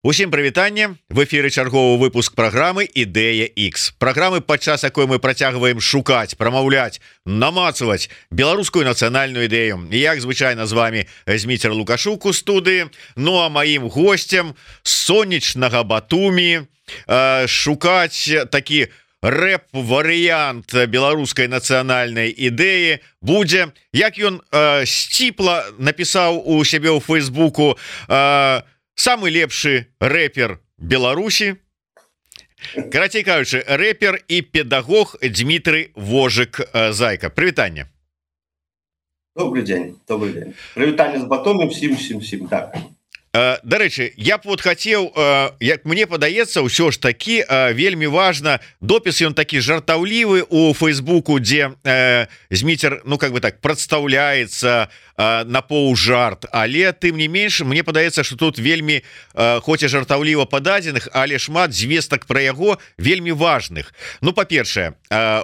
Усім прывітанне, в эфіры чарговы выпуск праграмы Ідэя X. Праграмы, падчас якой мы працягваем шукаць, прамаўляць, намацаваць беларускую нацыянальную ідэю. І як звычайна з вами Зміцер Лукашук у студыі. Ну а маім гостцем сонечнага Батумі шукаць такі рэп-варыянт беларускай нацыянальнай ідэі будзе, як ён сціпла напісаў у сябе ў Фейсбуку, самы лепшы рэпер Беларусі, карацей кажучы, рэпер і педагог Дмітрый Вожык Зайка. Прывітанне. Добрый день. Прывітанне з Батумі всім. Так. Дарэчы, я б вот хацеў, як мне падаецца, ўсё ж такі вельмі важна, допіс ён такі жартаўлівы у Фейсбуку, дзе Зміцер, ну как бы так, прадстаўляецца на паўжарт, але тым не менш, мне падаецца, што тут вельмі, хоць і жартаўліва па дадзеных, але шмат звестак пра яго вельмі важных. Ну, па-першае,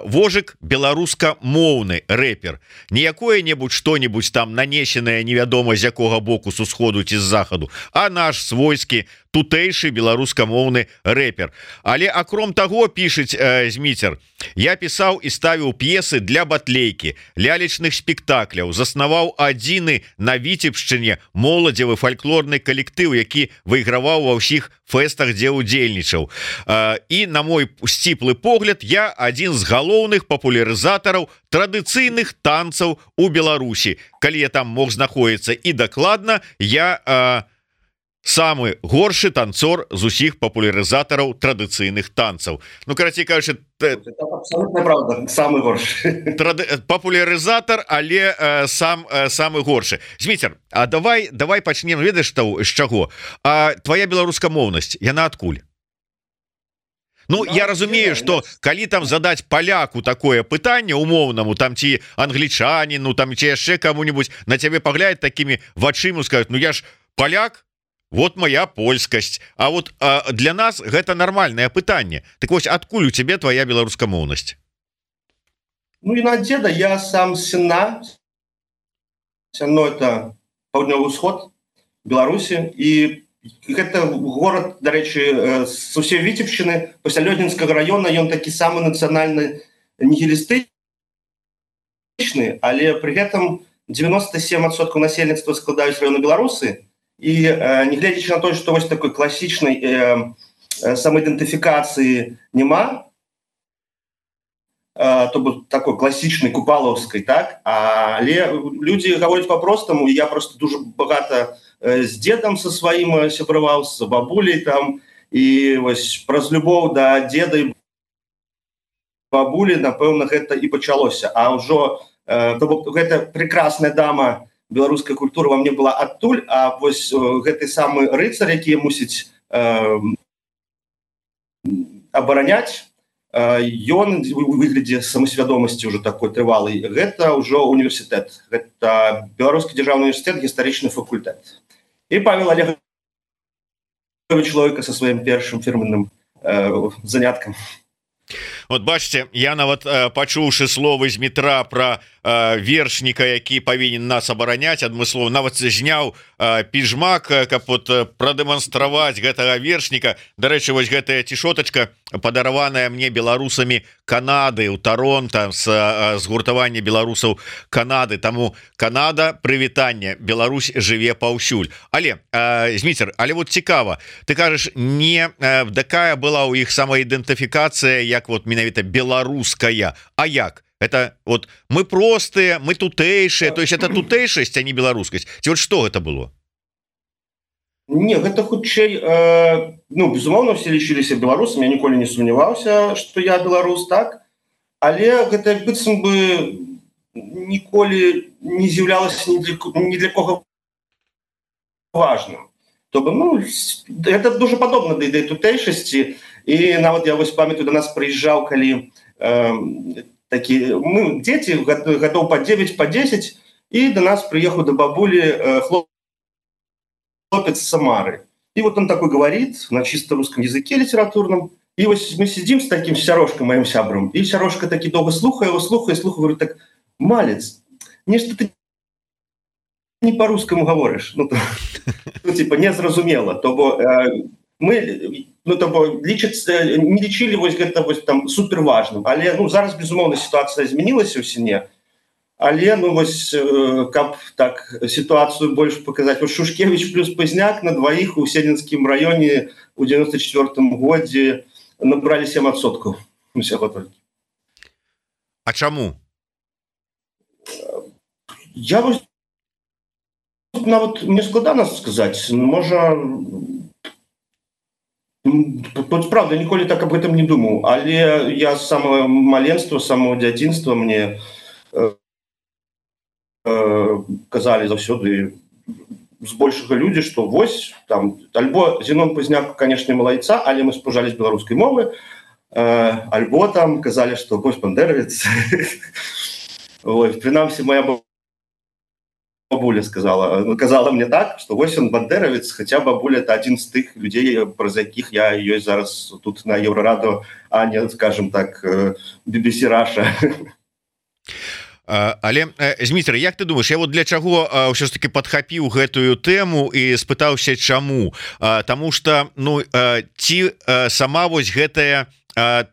Вожык беларускамоўны рэпер, не якое-небудзь што-небудзь там нанесенае невядома з якога боку, з усходу ці з захаду, а наш свойскі тутэйшы беларускамоўны рэпер. Але акром таго, пішыць Зміцер, я пісаў і ставіў п'есы для батлейкі, лялечных спектакляў, заснаваў адзіны на Віцебшчыне моладзевы фальклорны калектыў, які выйграваў ва ўсіх фэстах, дзе ўдзельнічаў. І на мой сціплы погляд, я адзін з галоўных папулярызатараў традыцыйных танцаў у Беларусі. Калі я там мог знаходзіцца і дакладна, я самы горшы танцор з усіх папулярызатараў традыцыйных танцаў. Ну, карацей кажучы, абсолютно правда, самы горшы. Папулярызатар, але самы горшы. Зміцер, а давай пачнем, ведаеш, з чаго? Твоя беларускамоўнасць, яна адкуль? Ну, я разумею, што калі там задаць паляку такое пытанне умоўнаму, там ці англічаніну, там ці яшчэ каму-нибудь, на цябе паглядаць такімі вачыма, скажуць, ну я ж паляк, вот моя польскасць. А вот для нас гэта нармальнае пытанне. Так вось, адкуль у цябе твоя беларускамоўнасць? Ну і на деда, я сам з Сенна. Сенно это паўднёвы ўсход Беларусі, і гэта горад, дарэчы, з усей Віцебшчыны, пасля Лёдзінскага раёна, ён такі самы нацыянальны нігілістычны, але пры гэтым 97% насельніцтва складаюць раёны Беларусы. І нягледзячы на то, што вось такой класічнай самаідэнтыфікацыі няма, то бок такой класічнай купалаўскай, так, але людзі гавораць па-простаму, і я просто дуже багата з дзедам са сваім сябраваў, з бабуляй там, і вось праз любоў да дзеда і бабулі, напэўна, гэта і пачалося. А ўжо, то бок, гэта прекрасная дама беларуская культура во мне была адтуль, а вось гэты самы рыцар, які мусіць абараняць, ён у выглядзе самасвядомасці ўжо такой трывалай, гэта ўжо універсітэт, гэта Беларускі дзяржаўны універсітэт, гістарычны факультэт. І Павел Олегович Лойка са сваім першым фірменным заняткам. Вот бачыце, я нават пачуўшы словы з метра пра вершніка, які павінен нас абараняць адмыслова, нават зняў піжмак, каб вот прадэманстраваць гэтага вершніка. Дарэчы, вось гэтая цішотачка падараваная мне беларусамі Канады ў Таронта з згуртавання беларусаў Канады. Таму Канада, прывітанне, Беларусь жыве паўсюль. Але Зміцер, але вот цікава, ты кажаш, не такая была ў іх самаідэнтыфікацыя, як вот менавіта беларуская, а як? Это вот мы простыя, мы тутэйшыя, то есть это тутэйшасць, а не беларускасць. Ці вот што гэта было? Не, гэта хутчэй, ну, безумоўна, все лічыліся беларусамі, я ніколі не сумняваўся, што я беларус, так, але гэта быццам бы ніколі не з'яўлялася ні для кого важным. То бы, ну, гэта дуже падобна да ідэі тутэйшасці, і нават я вось памятаю, да нас прыязджаў, калі такі, мы дзеці, гадоў па 9, па 10, і да нас прыехаў да бабулі хлопец с Самары. И вот он такой говорит на чисто русском языке литературном. И вот мы сидим с таким Сярошком, моим сябром, и Сярошка таки долго слухая, говорит так: «Малец, нечто ты не по-русскому говоришь». Ну, типа, не зразумело. мы не лічылі гэта там супер важным, але зараз безумоўна сітуацыя змянілася ў сіне, але каб так сітуацыю больш паказаць, Шушкевич плюс Пазняк на дваіх у Седзенскім раёне ў 94 годзе набралі 7% усяго толькі. А чаму? Я нават мне складана сказаць, можа, правда, ніколі так аб гэтым не думаў, але я з самого маленства, з самого дзяцінства мне казалі заўсёды збольшага людзі, што вось там альбо Зенон Пазняк, канешне, малайца, але мы спужалі з беларускай мовы, альбо там казалі, што вось бандеравец. Прынамсі, моя бабуля казала мне так, што вось он бандеравец, хаця бабуля это адзін з тых людзей, праз якіх я ёсць зараз тут на Еўрарадыё, а не, скажем так, BBC Russia. Але Зміцер, як ты думаешь, я вот для чаго ўсё ж таки падхапіў гэтую тэму і спытаўся чаму? Таму что ці сама вось гэтая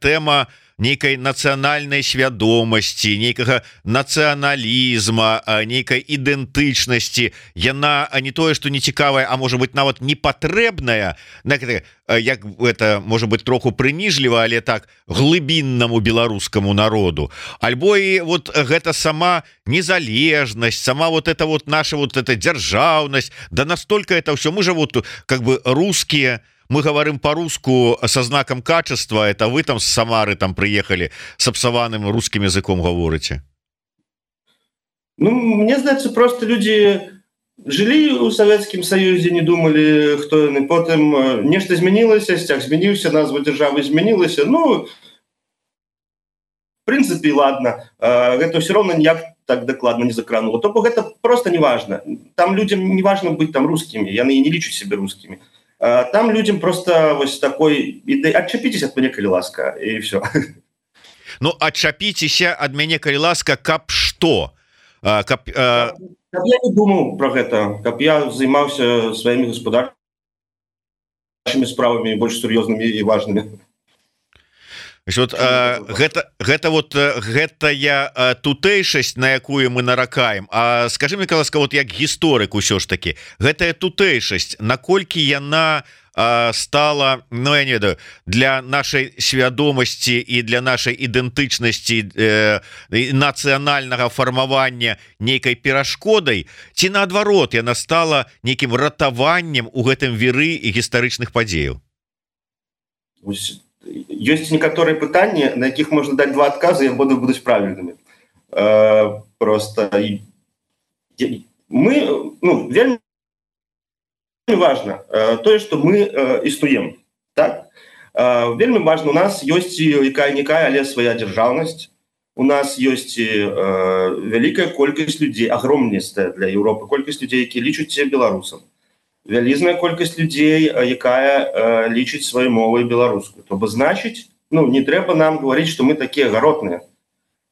тэма нейкай нацыянальнай свядомасці, нейкага нацыяналізма, нейкай ідэнтычнасці, яна не тое што не цікавая, а можа быть нават непатрэбная, як это можа быть троху прыніжліва, але так глыбіннаму беларускаму народу, альбо і вот гэта сама незалежнасць, сама вот это вот наша вот эта дзяржаўнасць, да настолько это ўсё, мы же вот как бы русские, мы говорим по-русски со знаком качества, это вы там с Самары там приехали с обсованным русским языком говорите? Мне здаецца, просто люди жили у Советском Союзе, не думали, кто они, потом нечто изменилось, стяг змянился, назва державы изменилась, в принципе, ладно, это все равно никак так докладно не закрануло, то это просто не важно, там людям не важно быть там русскими, я не лічу себе русскими. Там людям просто вот такой отчапитесь от меня, коли ласка, и все. Отчапитесь от меня, коли ласка, каб что? Каб я не думал про это, каб я занимался своими господарчими справами больше серьезными и важными. Вот, гэтая тутэйшасць, на якую мы наракаем. А скажи мне, ласка, вот як гісторык усё ж таки, гэтая тутэйшасць, наколькі яна стала, я не ведаю, для нашай свядомасці і для нашай ідэнтычнасці нацыянальнага фармавання нейкай перашкодай, ці наадварот яна стала нейкім ратаваннем у гэтым віры і гістарычных падзеяў? Есть некоторые пытания, на якіх можно дать два отказа, и будут правильными. Просто мы, вельмі важно то, что мы існуем. Так? Вельмі важно, у нас есть якая-никая, але своя державность, у нас есть великая колькость людей, огромнейшая для Европы, колькость людей, які лічаць себе беларусам. Вялізная колькасць людзей, якая лічыць сваёй мовай беларускую. То бы значыць, не трэба нам говорить, что мы такие гаротныя.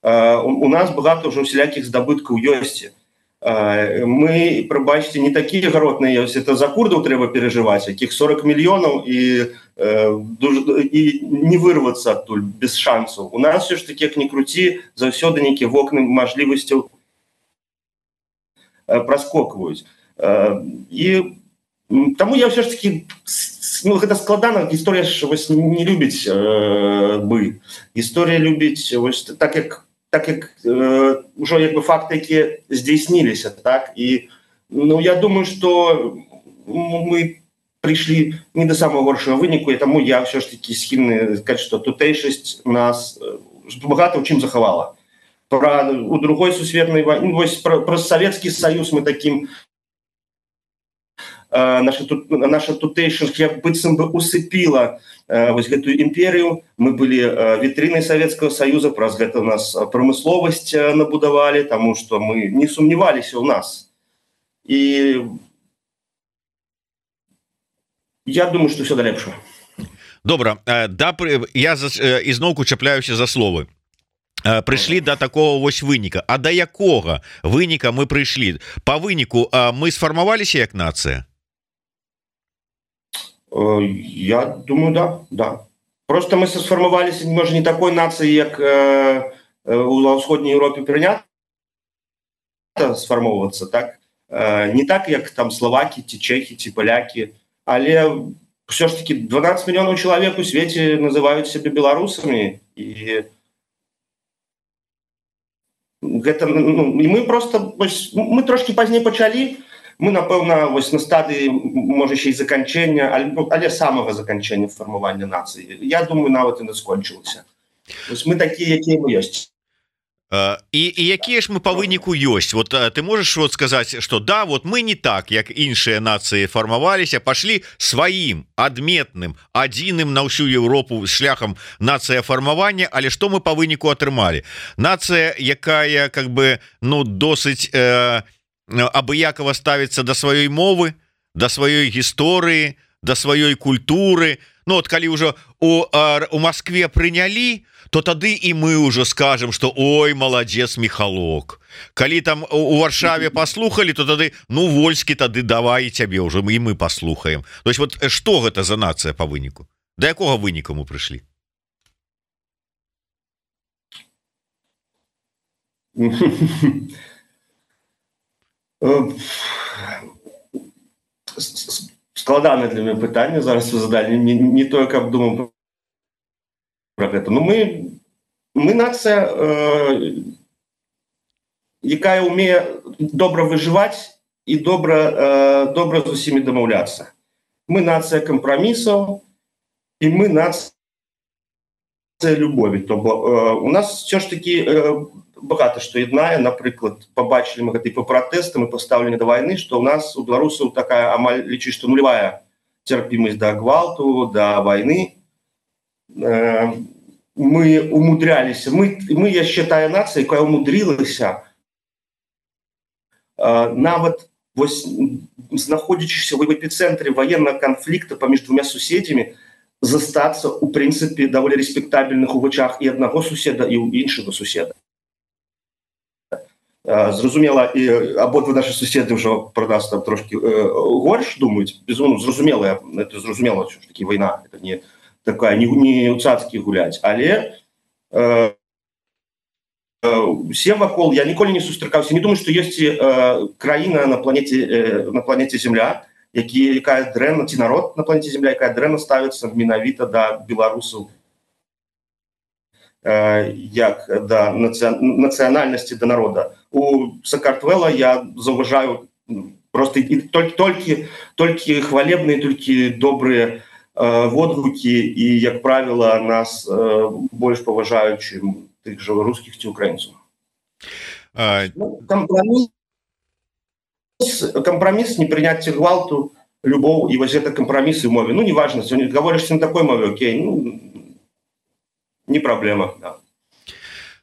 У нас багато уже усялякіх здабыткаў ёсць. Мы, прабачце, не такие гаротныя ёсць. Это за курдаў трэба переживать, якіх 40 мільёнаў і не вырвацца адтуль без шансаў. У нас все ж таки, як ни круці, заўсёды нейкія вокны мажлівасцяў праскокваюць. І тому я все ж таки, гэта складана, гісторыя ж не любіць бы. Гісторыя любіць так як ужо як бы факты, якія здзейсніліся, так? І я думаю, что мы пришли не до самого горшего выніку, и тому я все ж таки схильны сказать, что тутэйшасць нас багато ў чым захавала. У другой сусветнай войны, про Советский Союз мы таким наша тутэйшасць як быццам бы усыпіла гэтую імперію. Мы былі вітрынай Советского Союза, праз гэта у нас прамысловасць набудавалі, таму што мы не сумневаліся ў нас. І я думаю, што ўсё да лепшага. Добра, я ізноўку чапляюся за словы. Прыйшлі да такого вось выніка. А да якога выніка мы прыйшлі? Па выніку мы сфармаваліся як нацыя? Я думаю, да, да. Просто мы сфармаваліся, можа, не такой нацыі, як у ўсходняй Еўропе прынята сфармоўвацца, так? Не так, як там словакі, ці чэхі, ці палякі, але все ж таки 12 мільёнаў чалавек у свеце называюць сябе беларусамі, і гэта, ну, і мы просто, мы трошки пазней пачалі, мы, напэўна, вось на стадыі, можа, ще і заканчэння, але самага заканчэння фармавання нацыі. Я думаю, нават і не скончылася. Вось мы такія, якія мы ёсць. І якія ж мы па выніку ёсць? Вот ты можаш вот сказаць, што да, вот мы не так, як іншыя нацыі фармаваліся, пашлі сваім адметным, адзіным на ўсю Еўропу шляхам нацыя фармавання, але што мы па выніку атрымалі? Нацыя, якая как бы, ну, досыць абыякава ставіцца да сваёй мовы, да сваёй гісторыі, да сваёй культуры. Ну вот калі ўжо у Москве прынялі, то тады і мы ўжо скажем, што ой, маладзец Михалок. Калі там у Варшаве паслухалі, то тады, ну, Вольскі, тады давай цябе ўжо і мы паслухаем. То есть вот што гэта за нацыя па выніку? Да якога выніку мы прыйшлі? Складанае для мяне пытанне зараз вы задалі, не тое, каб думаў про гэта. Ну, мы нацыя, якая ўмее добра выжываць і добра з усімі дамаўляцца. Мы нацыя кампрамісаў, і мы нацыя любові. То у нас все ж таки багата што яднае. Напрыклад, побачылі мы гэта і па пратэстам, і па стаўленні да вайны, што ў нас у беларусаў такая амаль лічыць, што нулявая цярпімасць да гвалту, да вайны. Мы умудряліся, мы яшчэ тая нацыя, якая умудрылася нават вось знаходзячыся в эпіцэнтры ваеннага канфлікта паміж двумя суседзямі застацца у прынцыпе даволі рэспектабельных у вачах і аднаго суседа, і ў іншага суседа. Зразумела, і абодва нашы суседы ўжо пра нас там трошки горш думаюць, безумоўна, зразумела, это зразумела, що ж такі вайна, это не такая, не ў цацкі гуляць, але усе вакол, я ніколі не сустракаўся, не думаю, што ёсць краіна на планеце Земля, якая дрэнна, ці народ на планеце Земля, якая дрэнна ставіцца менавіта да беларусаў, як да нацыянальнасці, да народа. У Сакартвела я заўважаю просто толькі хвалебныя, толькі добрыя водгукі, і, як правіла, нас больш паважаюць, чым тых жа рускіх ці украінцаў. Компромисс, непринятие гвалту, любовь, и вот это компромиссы в мове. Ну, неважно, если говоришься на такой мове, окей, ну, не проблема, да.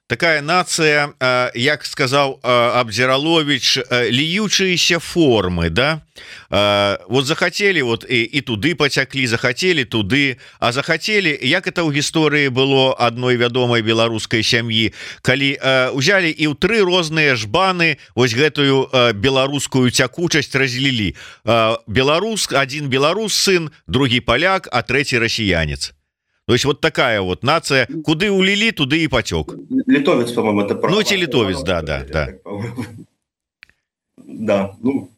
Такая нацыя, як сказаў Абдзіраловіч, ліючыеся формы, да? Вот захацелі, вот і туды пацяклі, захацелі туды, а захацелі, як это ў гісторыі было адной вядомай беларускай сям'і, калі узялі і ў 3 розныя жбаны вось гэтую беларускую цякучасць разлілі. Адзін беларус сын, другі паляк, а трэці расіянец. То есть вот такая вот нация, куды улили, туды и потек. Литовец, по-моему, это правда. Ну, те литовец, да. Да, ну...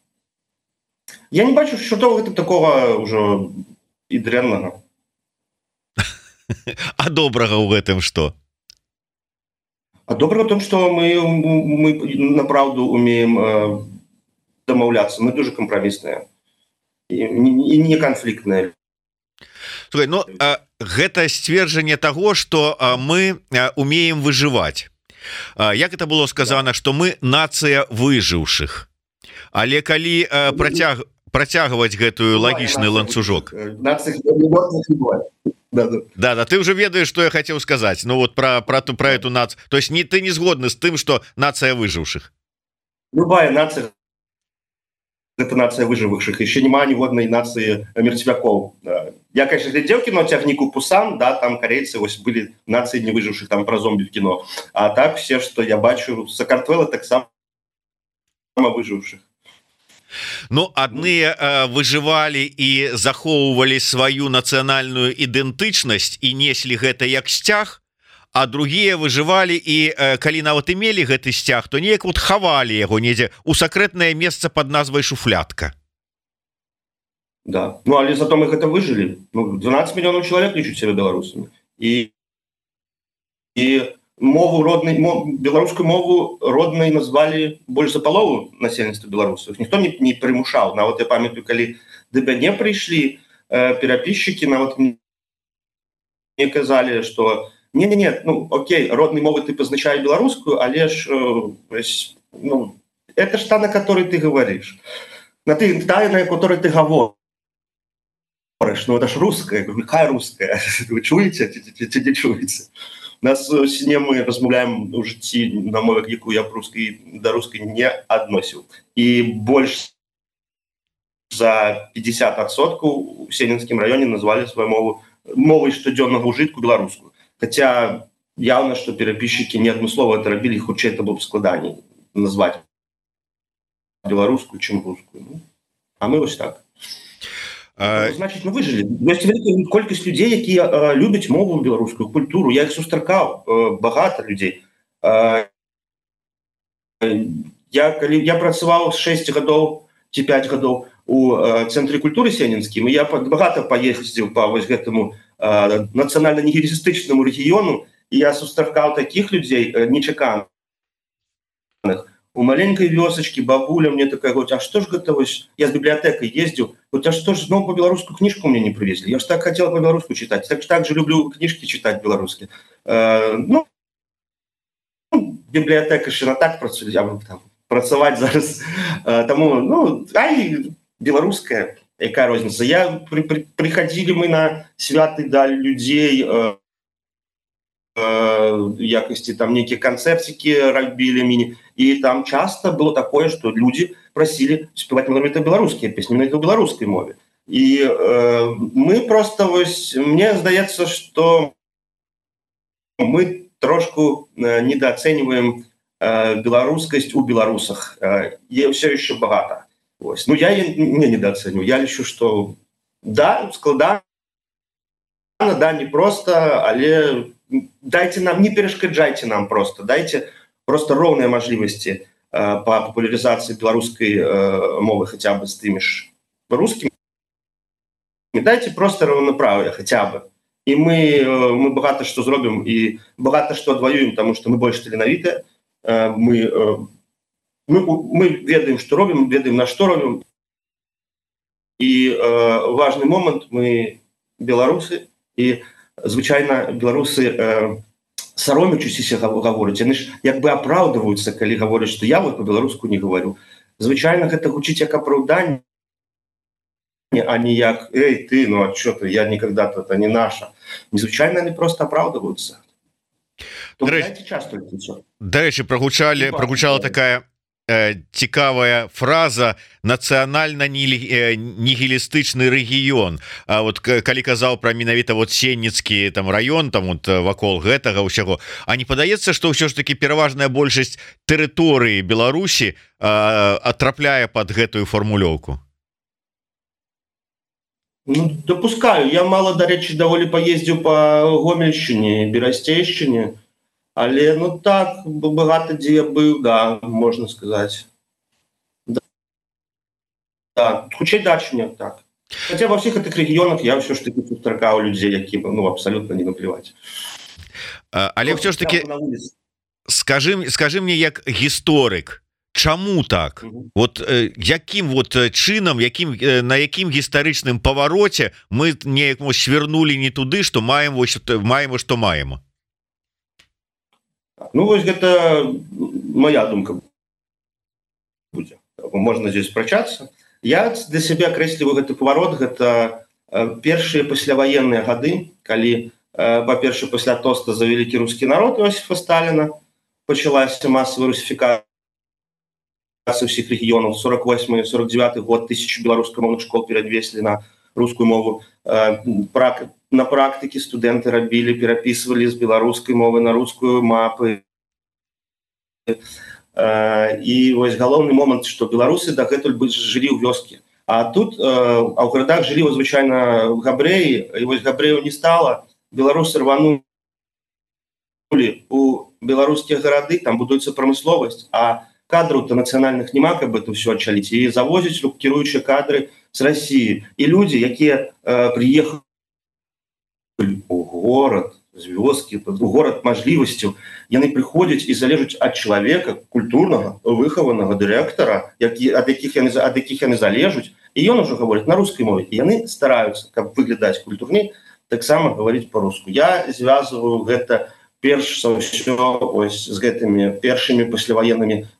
Я не бачу, що того такого уже і дрянного. А доброго в этом что? А доброго в том, что мы направду умеем домовляться. Мы дуже компромиссные и не конфликтные. Слухай, ну, гэта сцверджанне таго, што мы умеем выжываць. Як это было сказано, што мы нацыя выжыўшых. Але калі працягваць гэтую лагічны ланцужок. Да, ты уже ведаеш, што я хацеў сказаць. Ну вот про эту нацию. То есть ты не згодны з тым, што нацыя выжыўшых. Любая нация — это нация выживших. Еще нема ніводнай нации мертвяков. Я, конечно, глядел кино «Тягнику Пусан», да, там корейцы были нации не выживших, там про зомби в кино. А так все, что я бачу, Сакартвела так само выживших. Ну адныя выжывалі і захоўвалі сваю нацыянальную ідэнтычнасць і неслі гэта як сцяг, а другія выжывалі і калі нават і мелі гэты сцяг, то неяк вот хавалі яго недзе у сакрэтнае месца под назвай шуфлятка. Да, ну але зато мы гэта выжылі. Ну, 12 мільёнаў чалавек лічуць сябе беларусамі, і мову роднай, беларускую мову роднай назвалі больш за палову насельніцтва беларусаў. Ніхто не прымушаў. Нават я памятаю, калі да мяне прыйшлі перапісчыкі, нават мне казалі, што не, ну окей, роднай мовы ты пазначае беларускую, але ж ну, это ж та, на которой ты говоришь, на которой ты говоришь. Ну это ж русская, какая русская? Вы чуеце ці не чуеце? Нас сне мы размаўляем у жыцці на мове, якую я да рускай не адносіў. І больш за 50% у Сенінскім раёне назвалі сваю мову мовай штодзённага ўжытку беларускую. Хаця яўна, што перапісчыкі не адмыслова это рабілі, хутчэй это было б складаней назваць беларускую, чым рускую. Ну, а мы вось так. Значит, мы выжили. Ёсць вялікая колькасць людзей, якія любяць мову беларускую, культуру. Я іх сустракаў, багата людзей. Я працаваў 6 гадоў ці 5 гадоў у цэнтры культуры Сенінскім, і я багата паездзіў па вось гэтаму нацыянальна-нігілістычнаму рэгіёну, і я сустракаў такіх людзей нечаканых. У маленькой вёсачкі бабуля мне такая говорит: а что ж гэта вось, я з бібліятэкай ездзіў, вот, а что ж зноў по беларускую кніжку мне не привезли, я ж так хотела по беларуску читать, так же люблю книжки читать беларускія. Ну бібліятэка ж на так працуе, я буду там працаваць зараз, таму ну ай беларуская, якая розніца. Прыходзілі мы на святы далі людзей, якасці там нейкія канцэрцікі рабілі міні, і там часто было такое, што людзі прасілі спяваць менавіта беларускія песні, менавіта ў беларускай мове. І мы просто вось, мне здаецца, што мы трошку недооцениваем беларускасць у беларусах. Все еще багата. Вось. Ну я не недооцениваю. Я лічу, што да, складана, да, не просто, але дайте нам, не перешкаджайте нам просто, дайте просто роўныя мажлівасці по популяризации беларускай мовы хотя бы с тымі ж русскими. Дайте просто равноправие хотя бы. И мы багата што зробім і багата што адваюем, тому што мы больш таленавітыя. Мы ведаем, што робім, ведаем, на што робім. І важны момант, мы беларусы, і звычайна беларусы саромячыся гавораць, яны ж як бы апраўдваюцца, калі гавораць, што я вот по-беларуску не говорю. Звычайна гэта гучыць як апраўданне, а не як «Эй, ты, ну а что ты, я никогда-то, это не наша». Незвычайно они просто оправдываются. До речі, прогучала така цікавая фраза «нацыянальна-нігілістычны рэгіён». А вот калі казаў пра менавіта вот Сенніцкі там раён, там вот вакол гэтага ўсяго, а не падаецца, што ўсё ж таки пераважная большасць тэрыторыі Беларусі атрапляе под гэтую формулёўку? Ну, допускаю. Я мало, до речі, даволі поездил по Гомельщине, Берастейщине, але, ну так, багато де я был, да, можно сказать. Да, хутчэй дачня, так. Хотя во всех этих регионах я все ж таки сустракаў людей, які, ну, абсолютно не наплевать. Але все ж таки, скажи мне, як гісторык, чаму так? Вот якім вот чынам, на якім гістарычным павароце мы неяк свернули не туды, што маем што маем? Ну вось гэта моя думка будзе. Можна здесь спрачацца. Я для сябе акрэсліваю гэты паварот, гэта першыя пасляваенныя гады, калі па-першае пасля тоста за вялікі рускі народ Іосіфа Сталіна пачалася масавая русіфікацыя всех регионов. 48-49 год 1000 белорусскомовных школ перевесили на русскую мову. На практике студенты робили, переписывали с белорусской мовы на русскую мапы. і вось галоўны момант, што беларусы дагэтуль бы жылі ў вёскі, а тут а ў гарадах жылі звычайна габрэі, і вось габрэяў не стала, беларусы рванулі у беларускія гарады, там будуецца прамысловасць, а кадраў-то нацыянальных няма, каб это ўсё адчаліць, і завозяць кіруючыя кадры з Расіі, і людзі, якія прыехалі у горад з вёскі, у горад мажлівасцяў, яны прыходзяць і залежаць ад чалавека культурнага, выхаванага дырэктара, ад якіх яны залежаць, і ён ужо гаворыць на рускай мове, і яны стараюцца, каб выглядаць культурней, таксама гаварыць па-руску. Я звязваю гэта перш за ўсё з гэтымі першымі пасляваеннымі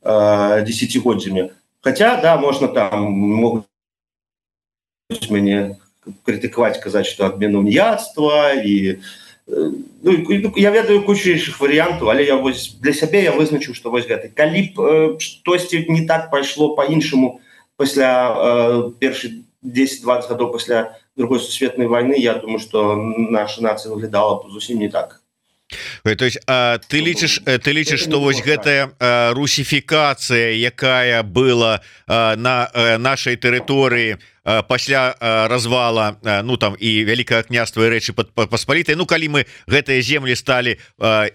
дзесяцігоддзямі. Хаця, да, можна там могуць мяне крытыкаваць, казаць, што адмена уніяцтва, і я ведаю кучу іншых варыянтаў, але я вось для сябе я вызначыў, што вось гэта. Калі б штосьці не так пайшло па-іншаму пасля першых 10-20 гадоў пасля Другой сусветнай вайны, я думаю, што наша нацыя выглядала б зусім не так. То есть ты лічыш, што вось гэтая русіфікацыя, якая была на нашай тэрыторыі пасля развала, ну там і Вялікага княства і Рэчы Паспалітай, ну калі мы гэтыя землі сталі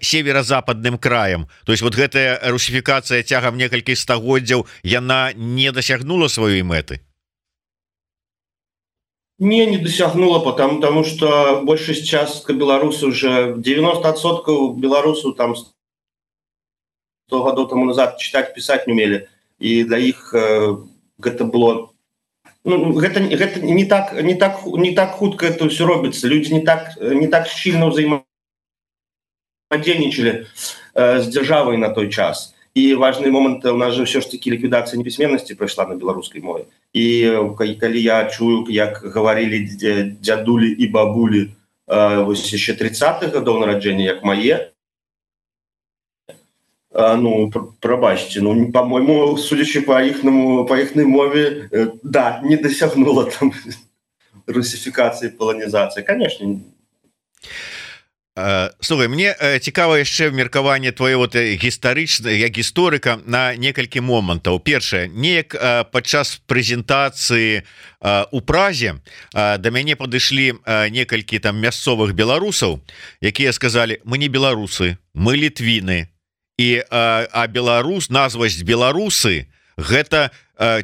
северо-западным краем, то есть вот гэтая русіфікацыя цягам некалькіх стагоддзяў, яна не дасягнула сваёй мэты? Не досягнула, потому что большасць частка беларусаў уже 90% беларусаў там 100 гадоў тому назад читать, писать не умели, и для іх гэта было, ну, гэта не так хутка это все робіцца, люди не так щільно взаимодейничали с державой на той час. І важны момант, у нас же ўсё ж таки ліквідацыя непісьменнасці прайшла на беларускай мове. І калі я чую, як гаварылі дзядулі і бабулі вось яшчэ 30-х гадоў нараджэння, як мае, ну, прабачце, ну, по-мойму, судзячы по іхнай мове, да, не дасягнула там русифікацыі, паланізацыі, конечно. Слухай, мне цікава яшчэ меркаванне твоего гістарычна, як гісторыка на некалькі момантаў. Першае, неяк падчас прэзентацыі у Празе да мяне падышлі некалькі там мясцовых беларусаў, якія сказалі: мы не беларусы, мы літвіны, і беларус, назвасць беларусы гэта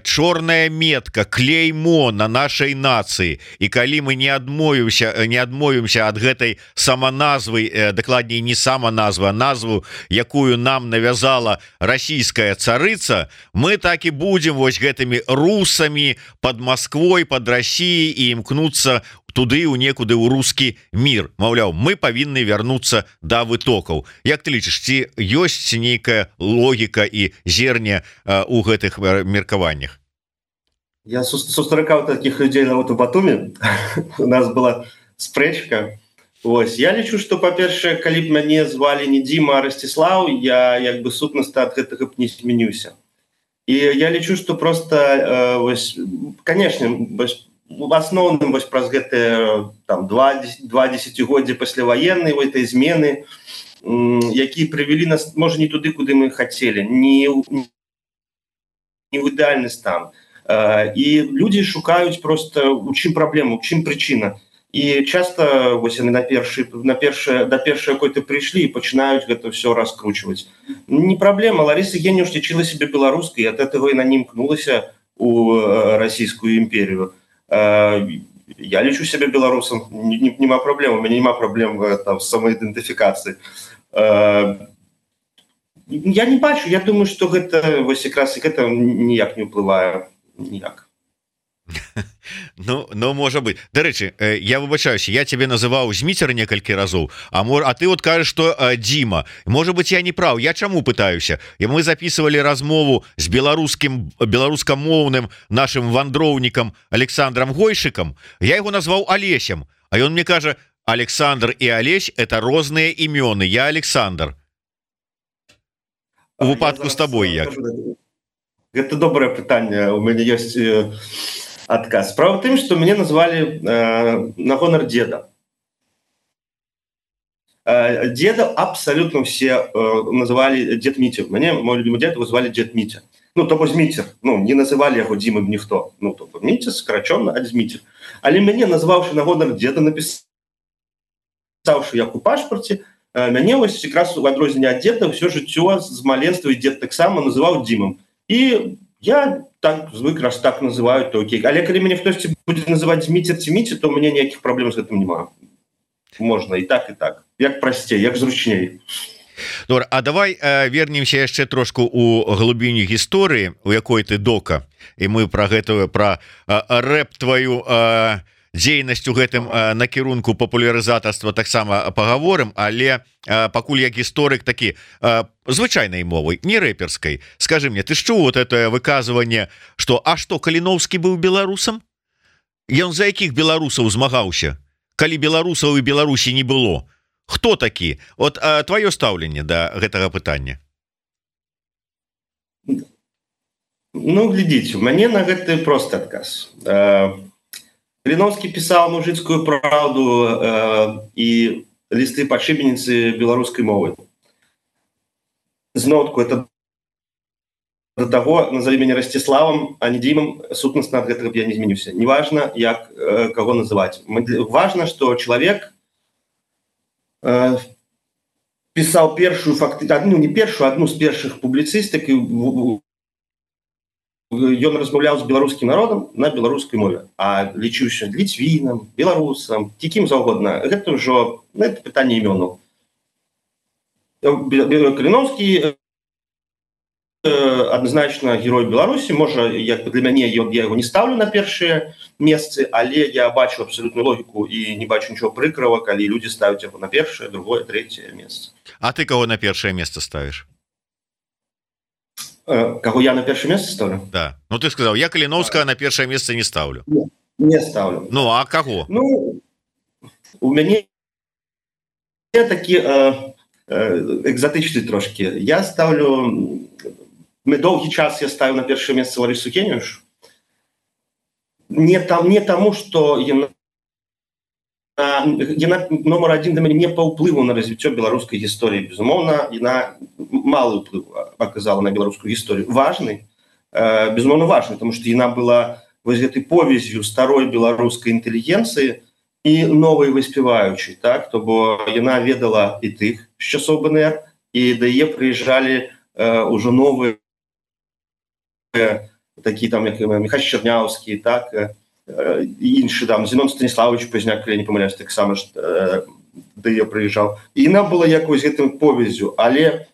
чорная метка, клеймо на нашай нацыі, і калі мы не адмовімся ад гэтай саманазвы, дакладней не саманазвы, а назву, якую нам навязала расійская царыца, мы так і будзем вось гэтымі русамі пад Масквой, пад Расіяй і імкнуцца туды ў некуды ў рускі мір. Маўляў, мы павінны вярнуцца да вытокаў. Як ты лічыш, ці ёсць нейкая логіка і зерне у гэтых меркаваннях? Я сустракаў таких людзей на у Батуме. У нас была спрэчка. Вось, я лічу, што, па-першае, калі б мяне звалі не Дзіма, а Расціслаў, я як бы сутнасна ад гэтага б не змяніўся. І я лічу, што проста, вось, канешне, в асноўным вось праз гэтыя там два дзесяцігоддзі пасляваеннай гэтай змены, якія прывялі нас, можа, не туды, куды мы хацелі, не ў ідэальны стан. І людзі шукаюць проста, у чым праблема, у чым прычына. І часта вось яны да першай какой-то прыйшлі і пачынаюць гэта ўсё раскручваць. Не праблема, Ларыса Генюш лічыла сябе беларускай, ад гэтага і на не імкнулася у расійскую імперію. Я лічу сябе беларусам, нема праблем, у мяне нема праблем там з самаідэнтыфікацыі. Я не бачу, я думаю, што гэта вось якраз і гэта ніяк не ўплывае, ніяк. Ну, можа быть. Дарэчы, я выбачаюся, я тебе называў Зміцер некалькі разоў, а ты вот кажаш, што Дзіма. Можа быть, я не прав. Я чаму пытаюся? Мы записывали размову з беларускамоўным нашим вандроўнікам Александром Гойшиком. Я его назваў Алесем, а ён мне кажа: Александр и Алесь — это розныя імёны. Я Александр. У выпадку з табой як? Гэта добрае пытанне. У мяне ёсць адказ. Справа в тым, што мяне назвалі на гонар дзеда. Деда абсолютно все называли Дед Митя. Мне мой любимый дед его звали Дед Митя. Ну, то бок Митер. Ну, не называли его Димой ніхто. Ну, то бок Митя скороченно, а Змитер. Але мяне, назвавши на гонор деда, написавши як у пашпарте, мяне вось якраз у адрозненне ад деда все жыццё з маленства і дед таксама называў Димом. І я так звык, раз так называю, то окей. Але калі мяне хтосьці будзе называць Змитер ці Митя, то у мяне ніякіх праблем з гэтым няма. Можна і так, як прасцей, як зручней. Добре, а давай вернемся яшчэ трошку у глыбіню гісторыі, у якой ты дока, і мы пра гэтую, пра рэп тваю дзейнасць у гэтым накірунку папулярызатарства таксама пагаворым, але пакуль як гісторык такі звычайнай мовай, не рэперскай. Скажы мне, ты ж чуў вот это выказванне, што Каліноўскі быў беларусам? Ён за якіх беларусаў змагаўся? Калі беларусаў і Беларусі не было? Хто такі? От твоё стаўленне да гэтага пытання. Ну, глядзіце, у мяне на гэты просты адказ. Каліноўскі пісаў мужыцкую праўду і лісты падшыбеніцы беларускай мовы. Зноўку, это до таго, назови мяне Расціславам, а не Дімам, сутнасна ад гэтага б я не зменіўся. Неважна, як каго называць. Важна, што чалавек пісаў першую фактычна, не першую, адну з першых публіцыстык, ён размаўляў з беларускім народам на беларускай мове, а лічыўся ліцвінам, беларусам, кім заўгодна. Гэта ўжо пытанне імёнаў. Каліноўскі адназначна герой Беларусі, можа, як для мяне я яго не ставлю на першыя месцы, але я бачу абсалютную логіку і не бачу нічого прыкрава, калі людзі ставяць яго на першае, другое, трэцяе месца. А ты каго на першае месца ставіш? Каго я на першае месца ставлю? Да. Ну ты сказаў, я Каліноўскага на першае месца не ставлю. Не ставлю. Ну, а каго? Ну, у мяне такі экзатычны трошки. Я ставлю... Доўгі час я ставіў на першае месца Ларысу Кенюш. Не таму, што яна номер адзін для мяне не па ўплыву на развіццё беларускай гісторыі. Безумоўна, яна малы ўплыв аказала на беларускую гісторыю. Важны, безумоўна важны, тому што яна была вось гэтай повязью старой беларускай інтэлігенцыі і новай выспяваючай, так? То бо яна ведала і тых з часоў БНР, і да яе прыязджалі ўжо новыя такі там, як Міхась Чарняўскі, так, і іншы там, Зінон Станіславович Пазняк, калі я не памыляюсь, таксама да яе прыязджаў. І яна была якось гэтым повязю, але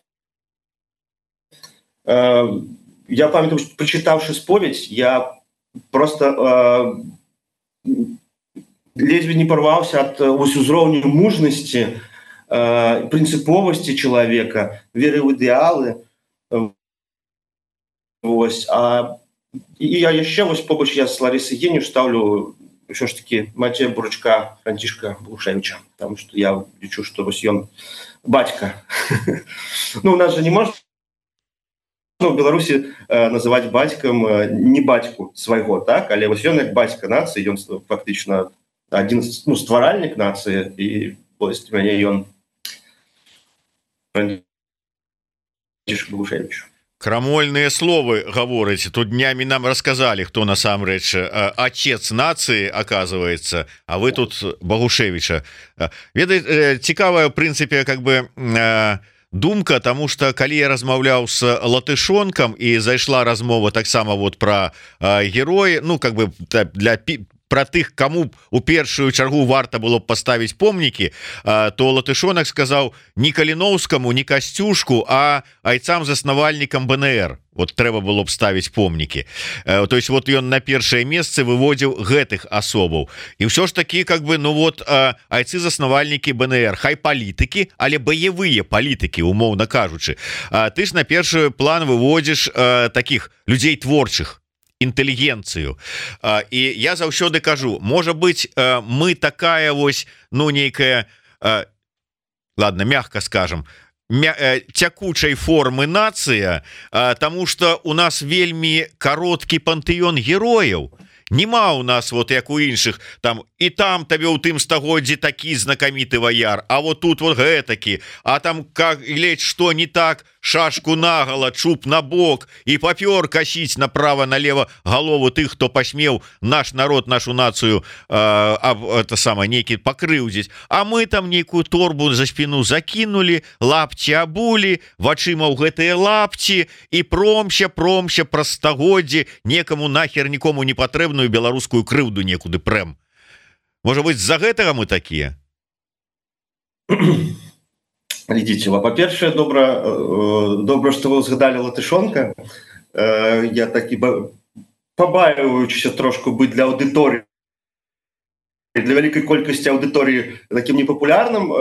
я памятаю, прачытаўшы споведь, я просто ледзьве не парваўся ад узроўню мужнасці, прынцыповасці чалавека, веры ў ідэалы. Вось, і я яшчэ вось побач я з Ларысай Кенюш ставлю ўсё ж такі Мацея Бурачка, Францішка Балушевіча, таму што я лічу, што вось ён бацька. Ну, у нас же не можна в Беларусі называць бацькам не бацьку свайго, так? Але вось ён як бацька нацыі, ён фактычна адзін стваральнік нацыі, і вось для мяне ён Францішка Балушевіч. Крамольныя словы гаворыць. Тут днямі нам расказалі, хто насамрэч отец нацыі, оказывается, а вы тут Багушевіча. Ведаеце, цікавая, в прынцыпе, как бы думка, тому что калі я размаўляў с латышонкам і зайшла размова таксама вот про героі, ну как бы для про тых, кому у першую чаргу варта было б паставіць помнікі, то латышонак сказаў не Каліноўскаму, не Касцюшку, а айцам-заснавальнікам БНР. Вот трэба было б ставіць помнікі. То есть вот ён на першае месцы выводзіў гэтых асобаў. І ўсё ж такі, как бы, ну вот, айцы-заснавальнікі БНР, хай палітыкі, але баявыя палітыкі, умоўна кажучы. Ты ж на першы план выводзіш такіх людзей творчых, інтэлігенцыю. І я заўсёды кажу, можа быть, мы такая вось, ну, нейкая, ладно, мягко скажем, цякучай формы нацыя, таму што у нас вельмі кароткі пантэён герояў, Нема у нас вот як у іншых там і там табе ў тым стагоддзі такі знакаміты ваяр, а вот тут вот гэтакі, а там как ледь что не так, шашку нагала, чуб на бок і папёр касіць направо налево голову тых, хто пасмеў наш народ, нашу нацыю это самое нейкі пакрыўдзіць, а мы там нейкую торбу за спину закинули, лапці абулі, вачыма ў гэтыя лапці і промся праз стагоддзі некаму нахер нікому не патрэбную беларускую крыўду некуды прэм. Можа быть, з-за гэтага мы такія? Глядзіце, па-першае, добра, што вы згадалі Латышонка. Я такі пабаиваючыся трошку быць для аўдыторыі, для вялікай колькасці аўдыторыі такім непапулярным.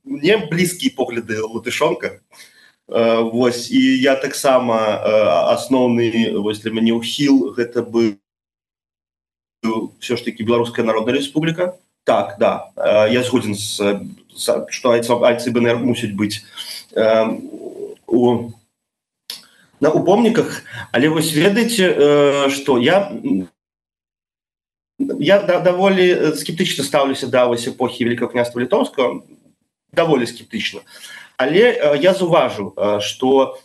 Мне блізкія погляды Латышонка. Вось, і я таксама асноўны для мяне ўхіл гэта быў все ж таки Беларуская Народная Республика. Так, да, я згоден, что АйЦБНР мусить быть у помниках, але вы ведаете, что я довольно скептично ставлюся до эпохи Великого княства Литовского, довольно скептично. Але я зауважу, что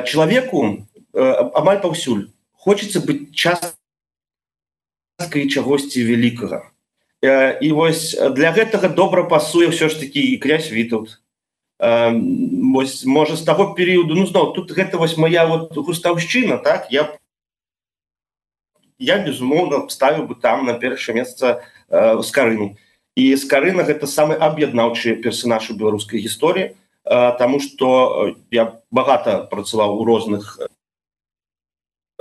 человеку амаль паўсюль хочется быть часткай чагосьці великага. І вось для гэтага добра пасуе ўсё ж такі і князь Вітаўт. Вось, можа, з таго перыяду, ну, зноў, тут гэта вось моя вот густаўшчына, так, я безумоўна, ставіў бы там на першае месца Скарыну. І Скарына — гэта самы аб'яднаўчы персанаж у беларускай гісторыі, таму што я багата працаваў у розных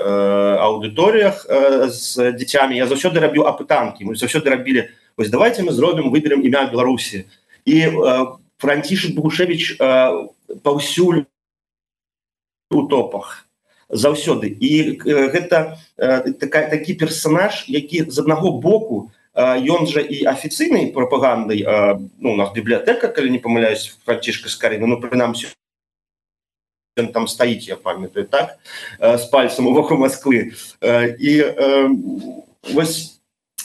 аўдыторыях з дзіцямі. Я заўсёды рабіў апытанкі, мы заўсёды рабілі, вось давайте мы зробім, выберем імя Беларусі. І Францішак Богушевіч паўсюль у топах заўсёды. І гэта такі персанаж, які з аднаго боку, ён жа і афіцыйнай прапагандай, ну, у нас бібліятэка, калі не памыляюсь, Францішка Скарына, ну, прынамсі, он там стоит, я памятаю, так, с пальцем у вока Москвы. И вось,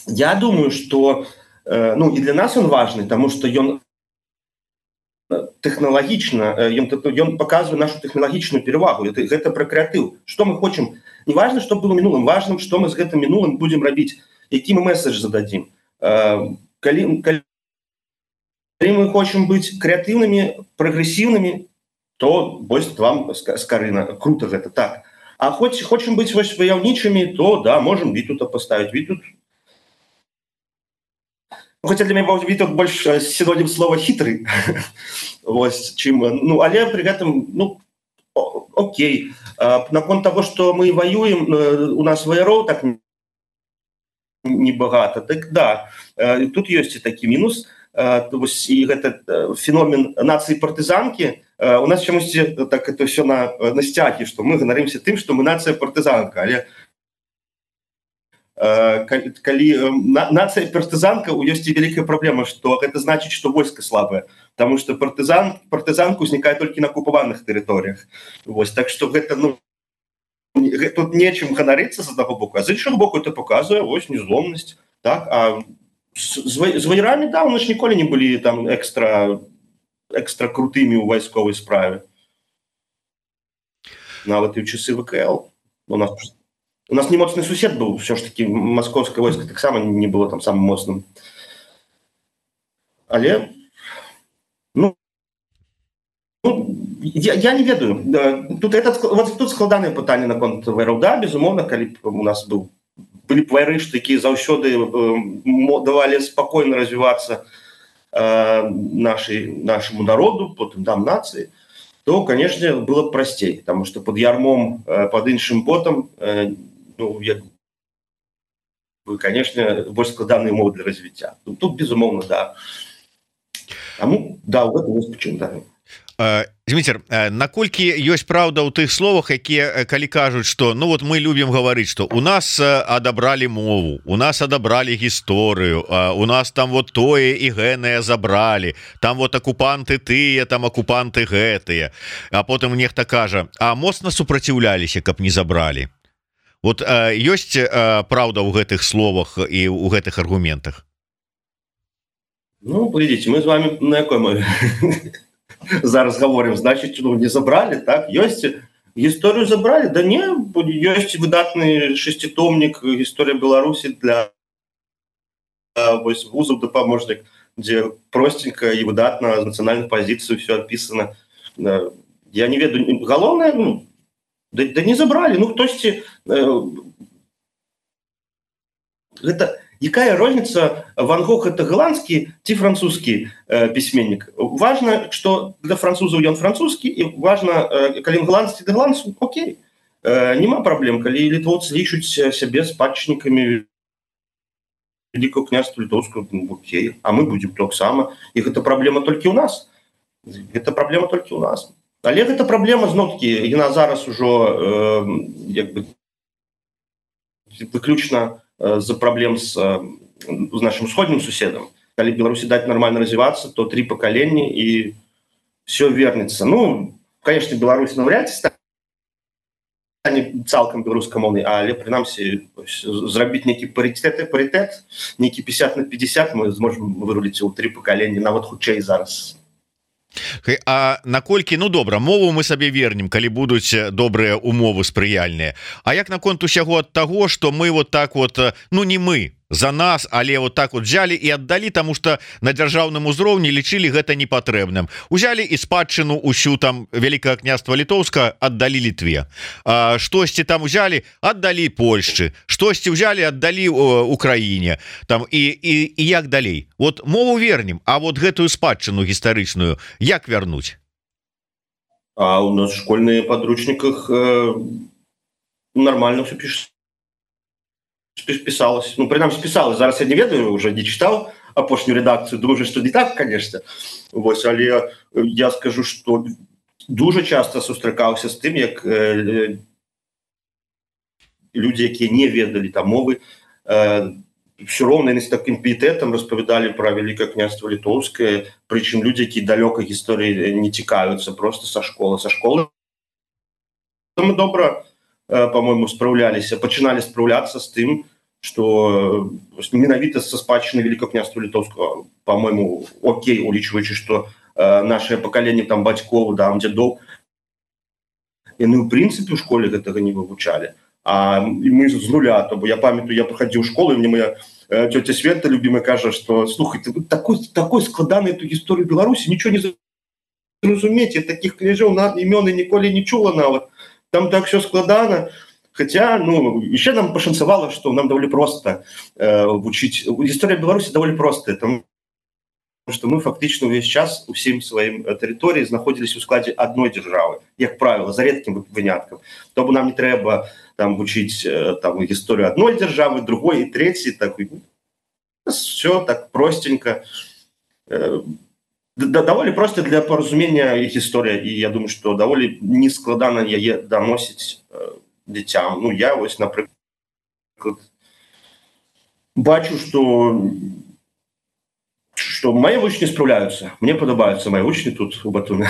я думаю, что, ну, и для нас он важный, потому что он технологично, он показывает нашу технологичную перевагу. Это про креатив. Что мы хотим? Не важно, что было минулым, важно, что мы с этим минулым будем робить, какие мы месседж зададим. Коли мы хотим быть креативными, прогрессивными, то вось вам Скарына. Круто гэта, так. А хочем быть вось ваяўнічымі, то да, можем Вітаўта поставить. Вітаўт. Хотя для меня Вітаўт больше синоним слова хитрый. Вось, чым, ну, але при этом, ну, окей. Наконт того, что мы воюем, у нас ваяроў так небагата, так да. Тут есть и такі мінус. І гэта феномен нацыі-партызанкі. У нас чамусьці так это все на сцягі, што мы ганарымся тым, што мы нацыя-партызанка. Але калі нацыя-партызанка, ёсць і вялікая праблема, што гэта значыць, што войска слабае. Таму што партызанка ўзнікае толькі на акупаваных тэрыторыях. Вось, так што гэта, ну, тут нечым ганарыцца з аднаго боку, а з іншага боку это паказвае вось незломнасць, так, а з ваярамі, да, у нас ніколі не былі там экстра крутымі ў вайсковай справе. Нават і ў часы ВКЛ. У нас не моцны сусед быў, все ж таки маскоўскае войска таксама не было там самым моцным. Але, ну, я не ведаю. Тут складанае пытанне наконт ваяроў. Да, безумоўна, калі у нас былі б вайры, якія заўсёды давалі спакойна развівацца нашему народу, потым там нации, то, конечно, было бы простей, потому что под ярмом, под іншым ботом, ну, конечно, больше складанные умовы для развития. Тут, безумовно, да. Тому, да, в этом есть почему, да. Зміцер, наколькі ёсць праўда ў тых словах, якія калі кажуць, што ну вот мы любім гаварыць, што у нас адабралі мову, у нас адабралі гісторыю, у нас там вот тое і гэнае забралі, там вот акупанты тыя, там акупанты гэтыя, а потым нехта кажа, а моцна супраціўляліся, каб не забралі. вот ёсць праўда ў гэтых словах і ў гэтых аргументах? Ну, глядите, мы с вами на якой мы зараз говорим, значит, ну, не забрали, так? Есть историю забрали? Да не, есть выдатный шеститомник «История Беларуси» для вузов допоможник, где простенько и выдатно с национальной позиции все описано. Я не веду, головное, ну, да не забрали, ну, хтосьці это... Якая розница, Ван Гог это голландский ці французский письменник? Важно, что для французов он французский, и важно, коли голландский для голландцев, окей. Нема проблем, коли литовцы лічуць себе спадчыннікамі Великого княжества Литовского, окей. А мы будем так само. И это проблема только у нас. Это проблема только у нас. Але это проблема, знов-таки, яна зараз ужо выключна за проблем с нашим сходным суседом. Коли Беларуси дать нормально развиваться, то 3 поколения и все вернется. Ну, конечно, Беларусь навряд ці стане цалкам беларускамоўнай, але прынамсі зрабіць нейкі паритет, нейкі 50/50 мы зможем выруліць у 3 поколения, нават хутчэй зараз. А наколькі, ну добра, мову мы сабе вернем, калі будуць добрыя умовы спрыяльныя. А як наконт усяго ад таго, што мы вот так вот, ну не мы за нас, але вот так вот взяли і аддалі, таму што на дзяржаўным узроўні лічылі гэта непатрэбным. Узялі і спадчыну усю там Великое княства Літоўска аддалі Літве. Штосьці там узялі, аддалі Польшчы. Штосьці узялі, аддалі Украіне. Там і як далей? Вот мову вернем, а вот гэтую спадчыну гістарычную як вярнуць? А у нас в школьных подручниках нормально все пишется. Писалось. Ну, принаймні, писалось. Зараз я не ведаю, уже не читал апошнюю редакцию. Думаю, что не так, конечно. Вот, але я скажу, что дуже часто сустракаўся з тым, як люди, якія не ведали там мовы, все роўна яны з таким піетэтам распавядалі про Великое княжество Литовское, причем люди, якія далёка гісторыі не цікавяцца, просто со школы. Со школы мы добра, по-моему, справляліся, пачыналі справляцца з тым, что менавіта со спадчыны Великого княжества Литовского, по-моему, окей, улічваючы, что наше поколение там бацькоў, там дзядоў, яны в принципе в школе гэтага не вывучалі. А мы з нуля, то я памятаю, я проходил школу, и мне моя тетя Света любимая кажа, что слухай, ты такой складаный эту историю Беларуси, ничего не зразумеете, таких княжаў імёны ніколі не чула нават. Там так все складано. Хотя, ну, еще нам пошансовало, что нам довольно просто учить. История Беларуси довольно простая, потому что мы фактично весь час у всем своим территории находились у складе одной державы, как правило, за редким вынятком. То нам не треба там учить там историю одной державы, другой и третьей. Так, все так простенько. Довольно просто для поразумения их история, и я думаю, что довольно нескладно яе доносить детям. Ну, я ось, например, бачу, что мои учни справляются. Мне подобаются мои учни тут у Батуми.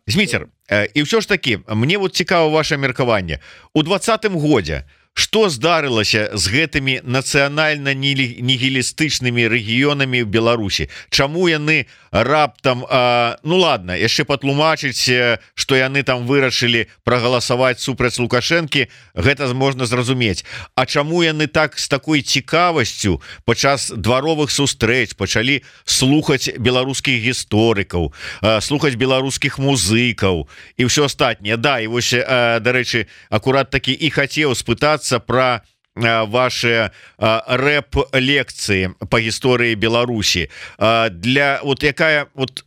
Зміцер, і ўсё ж таки, мне вот цікава ваше меркаванне. У 20-м годзе што здарылася з гэтымі нацыянальна-нігілістычнымі рэгіёнамі ў Беларусі? Чаму яны раптам, ну ладно, яшчэ патлумачыць, што яны там вырашылі прагаласаваць супраць Лукашэнкі, гэта можна зразумець. А чаму яны так з такой цікавасцю падчас дваровых сустрэч пачалі слухаць беларускіх гісторыкаў, слухаць беларускіх музыкаў і ўсё астатняе? Да, і вось, дарэчы, акурат такі і хацеў спытацца про ваши рэп-лекции по гісторыі Беларусі. Для вот якая вот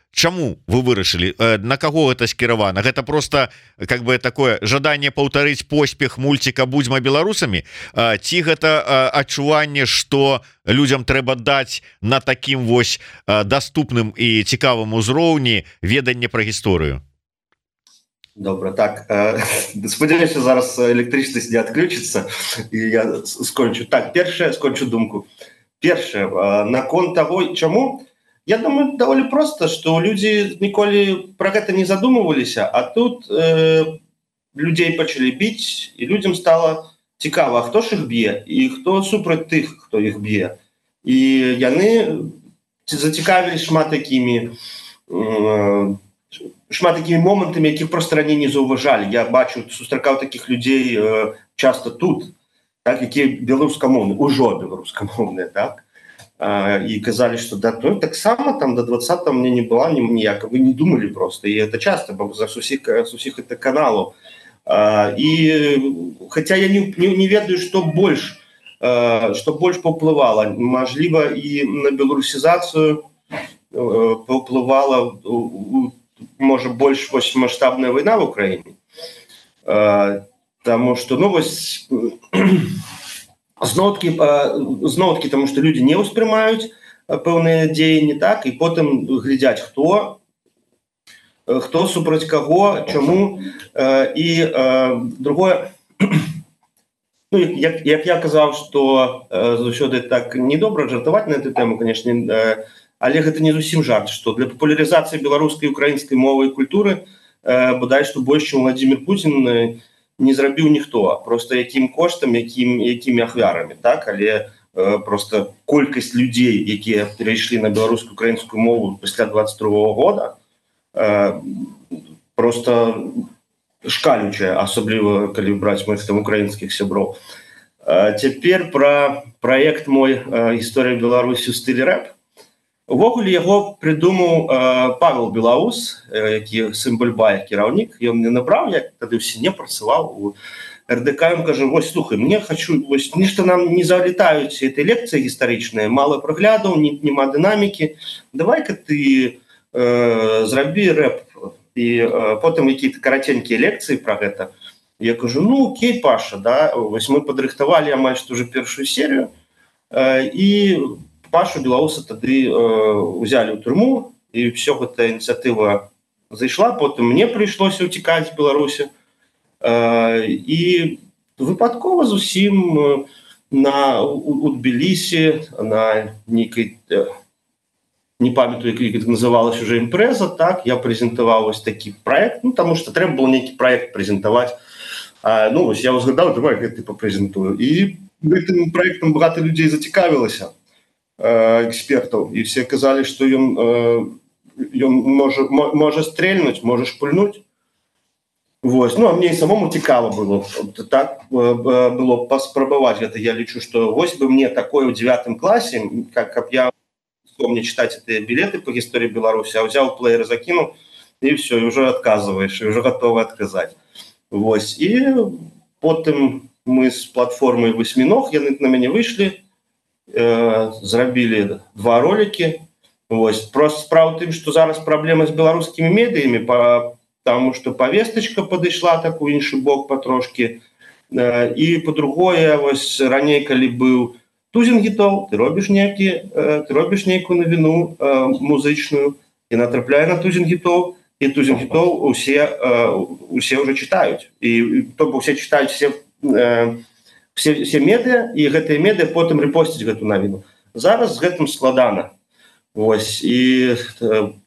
чаму вы вырашылі, на каго гэта скіравана? Гэта просто как бы такое жаданне паўтарыць поспех мульціка «Будзьма беларусамі», ці гэта адчуванне, што людзям трэба даць на такім вось даступным і цікавым узроўні веданне пра гісторыю? Добре, так. Сподіваюся, зараз електричність не відключиться, і я скончу. Так, перше, скончу думку. Перше, наконт того, чому? Я думаю, доволі просто, що люди ніколи про це не задумувалися, а тут людей пачалі біць, і людям стало цікава, хто ж іх б'е і хто супраць тых, хто іх б'е. І яны зацікавілись шмат такімі момантамі, якіх проста раней не заўважалі. Я бачу, сустракаў такіх людзей часто тут, так, якія беларускамоўныя, ужо беларускамоўныя, так, і казалі, што да, ну, таксама там до 20-го мне не была ніяка, вы не думалі просто, і это часто, бо за усіх это каналаў. І хаця я не ведаю, што больш паўплывала, мажліва, і на беларусізацыю паўплывала, можа, больш масштабная вайна в Украіне. Таму што, ну, вось зноўкі, таму што людзі не ўспрымаюць пэўныя дзеянні, так, і потым глядзяць, хто супраць каго, чаму. І другое, ну, як я казаў, што заўсёды так недобра жартаваць на эту тэму, канешне, але гэта не зусім жарт, што для папулярызацыі беларускай і украінскай мовы і культуры бадай што больш, чым Владзімір Пуцін, не зрабіў ніхто, просто якім коштам, якімі ахвярамі, так, але просто колькасць людзей, якія перайшлі на беларускую украінскую мову пасля 22-го года, просто шкалючая, асабліва калі браць моих там украінскіх сяброў. Цяпер пра праект мой «Гісторыя Беларусі ў стылі рэп». Увогуле яго придумаў Павел Белаус, які сын Бульбая, кіраўнік. Ён мне набраў, я тады ўсе не працаваў у РДК. Ён кажа: вось, слухай, мне хочу, вось, нешта нам не залетаюць этой лекцыі гістарычныя, мало праглядаў, нема дынамікі. Давай-ка ты зрабі рэп. І потым какие-то караценькія лекцыі пра гэта. Я кажу: ну, окей, Паша, да, вось мы падрыхтавалі амаль што уже першую серію, і Пашу Белауса тады узялі ў турму, і все гэта ініцыятыва зайшла. Потым мне прыйшлося ўцікаць з Беларусі, і выпадкова зусім у Тбілісі на нейкай, не памятаю, як называлась уже імпрэза, так, я прэзентаваў вось такі праект, ну, таму што трэба было нейкі праект прэзентаваць. Ну, вось я ўзгадаў, давай гэты папрэзентую. І гэтым праектам багата людзей зацікавілася, экспертаў, і все казалі, што ён можа стрельнуць, можа шпульнуць. Вось. Ну, а мне і самому цікава было. Так было паспрабаваць гэта. Я лічу, што вось бы мне такое ў 9 класе, каб я мне читать эти билеты по гісторыі Беларусі, а ўзяў плеер, закінуў, і все, і ўжо адказваеш, і ўжо гатовы адказаць. Вось. І потым мы з платформай «Восьміног», яны на мяне выйшлі, зрабілі 2 ролики. Вось. Просто справа ў тым, што зараз праблема з беларускімі медыямі, таму што павестачка падышла так у іншы бок патрошкі. І па-другое, вось раней, калі быў Тузінгітоў, ты робіш нейкую навіну музычную, і натрапляе на Тузінгітоў, і Тузінгітоў усе ўжо чытаюць. І то бок усе чытаюць все медыа, і гэтыя медыа потым рэпосцяць гэту навіну. Зараз з гэтым складана. Вось. І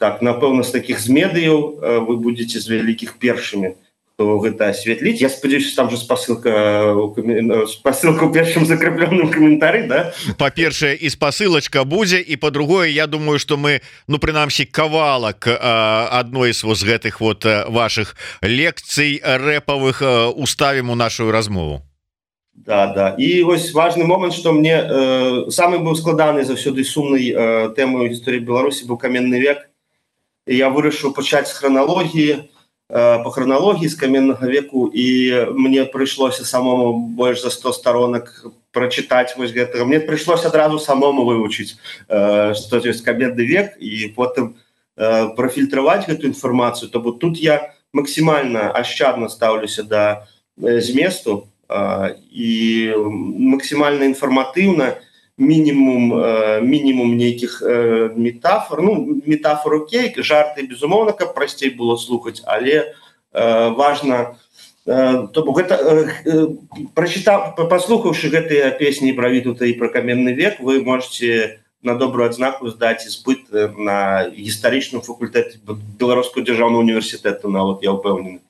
так, напэўна, з такіх з медыяў вы будзеце з вялікіх першымі, хто гэта асветліць. Я спадзяюся, там же спасылка ў першым закрэпленым каментары, да? Па-першае, і спасылачка будзе, і па-другое, я думаю, што мы, ну, прынамсі, кавалак адной з вось гэтых вот вашых лекцый рэпавых уставім у нашу размову. Да. І вось важны момант, што мне самы быў складаны заўсёды сумнай тэмой гісторыі Беларусі быў каменны век. І я вырашыў пачаць з храналогіі, по храналогіі з каменнага веку, і мне прыйшлося самому больш за 100 сторонак прачытаць вось гэтага. Мне прыйшлося адразу самому вывучыць, што ёсць каменны век, і потым прафільтраваць гэту інфармацыю. То бок тут я максімальна ашчадна стаўлюся да зместу, і максімальна інфарматыўна, мінімум нейкіх метафор. Ну, метафор окей, жарты, безумоўна, каб прасцей было слухаць, але важна, то бок гэта, паслухаўшы гэтыя песні пра Вітаўта і пра каменны век, вы можете на добрую адзнаку здаць іспыт на гістарычным факультэце Беларускага дзяржаўнага універсітэту, нават, я ўпэўнены.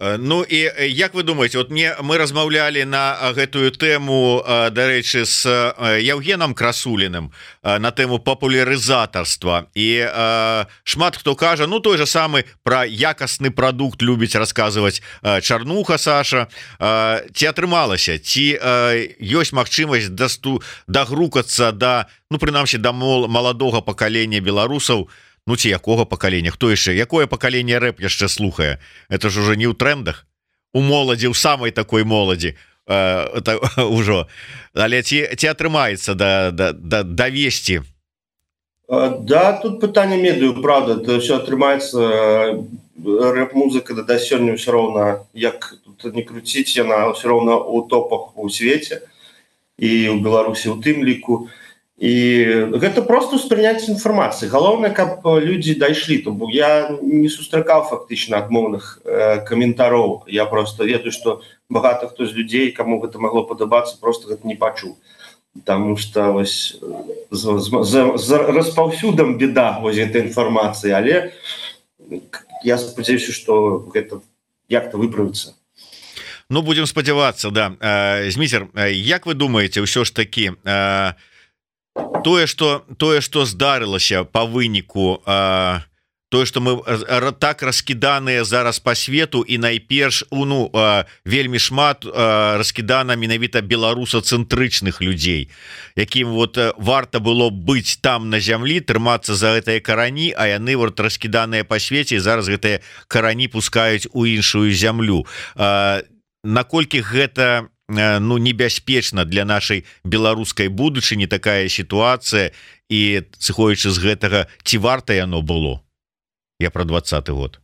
Ну і як вы думаете, вот мы размаўлялі на гэтую тэму, дарэчы, з Евгеном Красуліным на тэму папулярызатарства, і шмат хто кажа, ну той же самы про якасны прадукт любіць расказваць Чарнуха Саша. Ці атрымалася, ці ёсць магчымасць дагрукацца да, ну прынамсі да маладога пакалення беларусаў, ну ці якога пакалення, хто яшчэ, якое пакаленне рэп яшчэ слухае? Это ж уже не ў трендах, у моладзі, у самай такой моладзі ўжо, але ці атрымаецца давесці? Да, тут пытанне медыю, правда, это все атрымаецца, рэп-музыка да сёння ўсё роўна, як тут не круціць, яна ўсё роўна ў топах у свеце і ў Беларусі у тым ліку. І гэта просто ўспрыняцце інфармацыі. Галоўнае, каб людзі дайшлі, то бо я не сустракаў фактычна адмоўных каментароў. Я просто ведаю, што багата хто з людзей, каму гэта магло падабацца, просто гэта не пачуў. Таму што вось з распаўсюдам беда вось гэтай інфармацыі, але я спадзяюся, што гэта як-то выправіцца. Ну, будзем спадзявацца, да. Зміцер, як вы думаеце, ўсё ж такі тое, што здарылася па выніку, тое, што мы так раскіданыя зараз па свету, і найперш вельмі шмат раскідана менавіта беларусацэнтрычных людзей, якім вот варта было быць там на зямлі, трымацца за гэтыя карані, а яны вот раскіданыя па свеце, і зараз гэтыя карані пускаюць у іншую зямлю. Наколькі гэта небяспечна для нашай беларускай будучыні такая сітуацыя, і сыходзячы з гэтага, ці варта яно было? Я про 20-й год.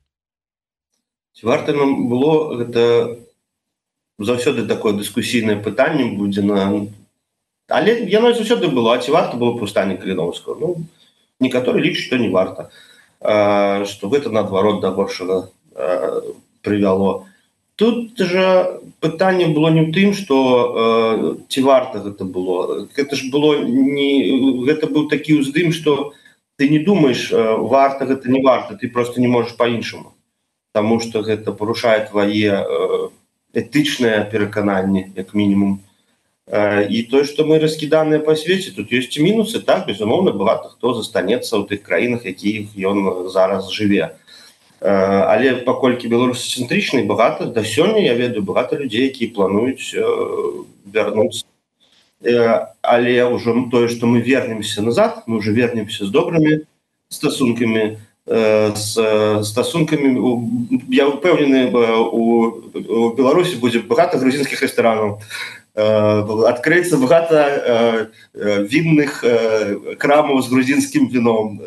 Ці варта нам было, гэта заўсёды такое дыскусійнае пытанне будзе, але яно заўсёды было, а ці варта было паўстанне Каліноўскага? Ну, некаторы лічаць, што не варта, што гэта наадварот да горшага прывяло. Тут жа пытанне было не ў тым, што ці варта гэта было. Гэта ж было не... Гэта быў такі ўздым, што ты не думаеш, варта гэта, не варта, ты просто не можаш па-іншаму. Таму што гэта парушае твае этычныя перакананні, як мінімум. І тое, што мы раскіданыя па свеце, тут ёсць і мінусы, так, безумоўна, багата хто застанецца ў тых краінах, якіх ён зараз жыве. Але паколькі беларусацэнтрычны, багата, да сёння я ведаю багата людзей, якія плануюць вярнуцца. Але ўжо тое, што мы вернемся назад, мы ўжо вернемся з добрымі стасункамі, я ўпэўнены, у Беларусі будзе багата грузінскіх рэстаранаў, адкрыецца багата вінных крамаў з грузінскім віном,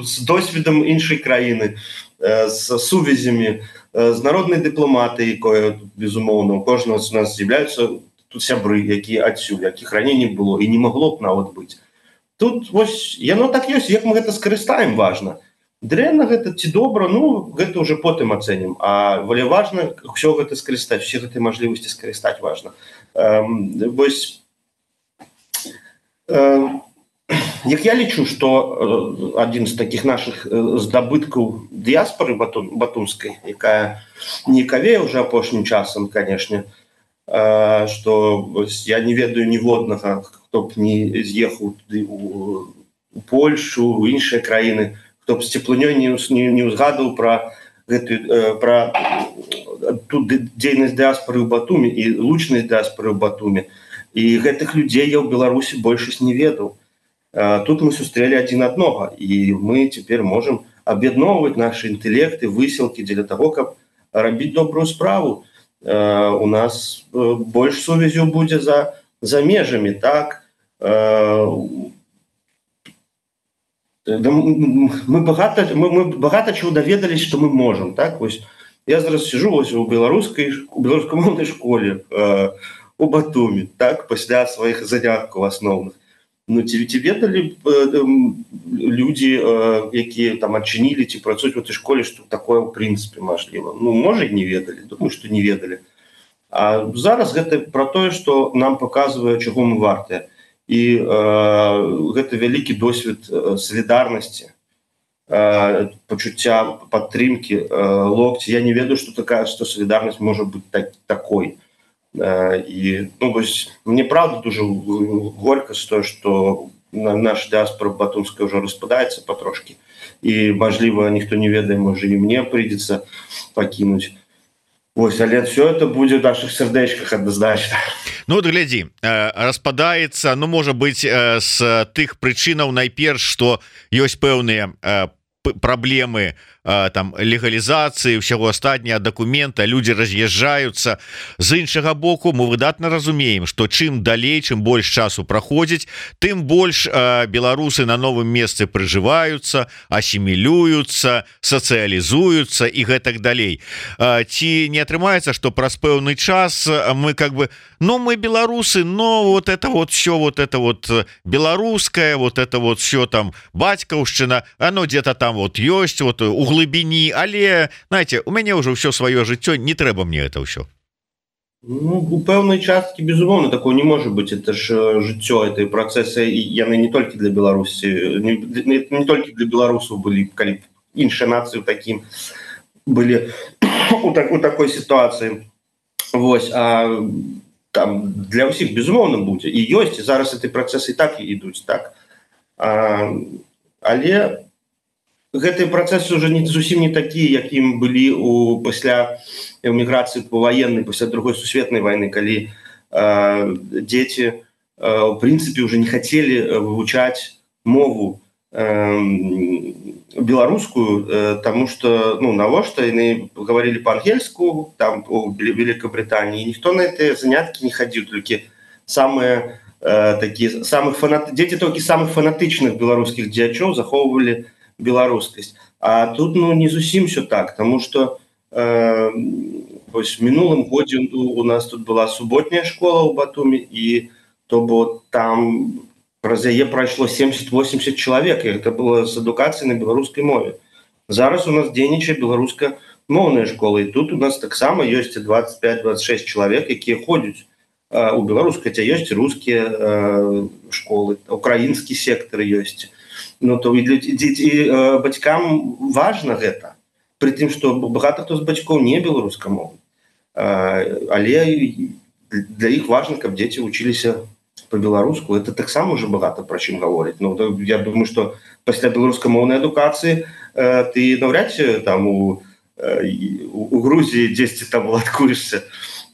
з досведам іншай краіны, з сувязямі, з народнай дыпламатыяй, якое, безумоўна, у кожнага з нас з'яўляюцца тут сябры, якія адсюль, якіх раней не было і не магло б нават быць. Тут вось яно так ёсць, як мы гэта скарыстаем, важна. Дрэнна гэта ці добра, ну, гэта ўжо потым ацэнім. Але важна ўсё гэта скарыстаць, усе гэтыя мажлівасці скарыстаць важна. Вось як я лічу, што адзін з такіх нашых здабыткаў дыяспары батумскай, якая не кавее ўжо апошнім часам, канешне, што я не ведаю ніводнага, хто б не з'ехаў туды у Польшу, у іншыя краіны, хто б з цеплынёй не ўзгадаў пра ту дзейнасць дыяспары ў Батуме і лучнасць дыяспары ў Батуме. І гэтых людзей я ў Беларусі большасць не ведаў. Тут мы сустрэлі адзін аднога, і мы цяпер можам аб'ядноўваць нашы інтэлекты, высілкі дзеля таго, каб рабіць добрую справу. У нас больш сувязяў будзе за межамі, так? Мы багата чаго даведались, што мы можам, так? Вось я зараз сижу вось у беларускамоўнай школе у Батуме, так, пасля сваіх заняткаў асноўных. Ну, ці ведалі людзі, якія там адчынілі ці працуюць у этой школе, што такое ў прынцыпе мажліва? Ну, можа, і не ведалі, думаю, што не ведалі. А зараз гэта пра тое, што нам паказвае, чаго мы вартыя. І гэта вялікі досвед салідарнасці пачуцця падтрымкі, локці. Я не ведаю, што салідарнасць можа быць такой. І мне правда дуже горька з того, що наша діаспора батумська вже розпадається потрошки. І, можливо, ніхто не ведає, може і мені прийдеться покинути. Ось, але все це буде в наших сердечках однозначно. Ну вот глядзі, распадаецца, ну можа быць з тых прычынаў найперш, што ёсць пэўныя праблемы там легалізацыі ўсяго астатняга дакумента, людзі раз'язджаюцца. З іншага боку мы выдатна разумеем, што чым далей, чым больш часу праходзіць, тым больш беларусы на новым месцы прыжываюцца, асімілююцца, сацыялізуюцца і гэтак далей. Ці не атрымаецца, што праз пэўны час мы мы беларусы, но вот это вот все, вот это вот беларускае, вот это вот все там бацькаўшчына, оно где-то там вот ёсць, вот у глыбіні, але, знаете, у мяне ўжо ўсё сваё жыццё, не трэба мне это ўсё. Ну, у пэўнай часткі, безумоўна, такого не можа быць. Это ж жыццё, это працэсы, і яны не толькі для Беларусі, не толькі для беларусаў былі, калі іншыя нацыі такім былі у такой сітуацыі. Вось, а там для ўсіх, безумоўна, будзе. І ёсць, і зараз эти працэсы і так і ідуць, так. Але гэтыя працэсы ўжо зусім не такія, якім былі пасля эміграцыі паваеннай, пасля другой сусветнай вайны, калі дзеці у прынцыпе ўжо не хацелі вывучаць мову беларускую, таму што навошта яны гаварылі па-ангельску там у Великабрытаніі, ніхто на гэтыя заняткі не хадзіў, толькі самыя такія дзеці толькі самых фанатычных беларускіх дзеячоў захоўвалі беларускасць. А тут не зусім все так, тому што в мінулым годзе у нас тут была суботняя школа ў Батумі, і то бо там праз яе прайшло 70-80 чалавек, і гэта было з адукацыі на беларускай мове. Зараз у нас дзейнічае беларускамоўная школа, і тут у нас таксама ёсць 25-26 чалавек, якія ходзяць у беларускай, хаця ёсць рускія школы, украінскі сектар ёсць. То і бацькам важна гэта, пры тым, што багата хто з бацькоў не беларускамоўны, але для іх важна, каб дзеці вучыліся по-беларуску. Это таксама ўжо багата пра чым гаворыць. Я думаю, што пасля беларускамоўнай адукацыі ты наўряд ці там у Грузіі дзесьці там уладкуешся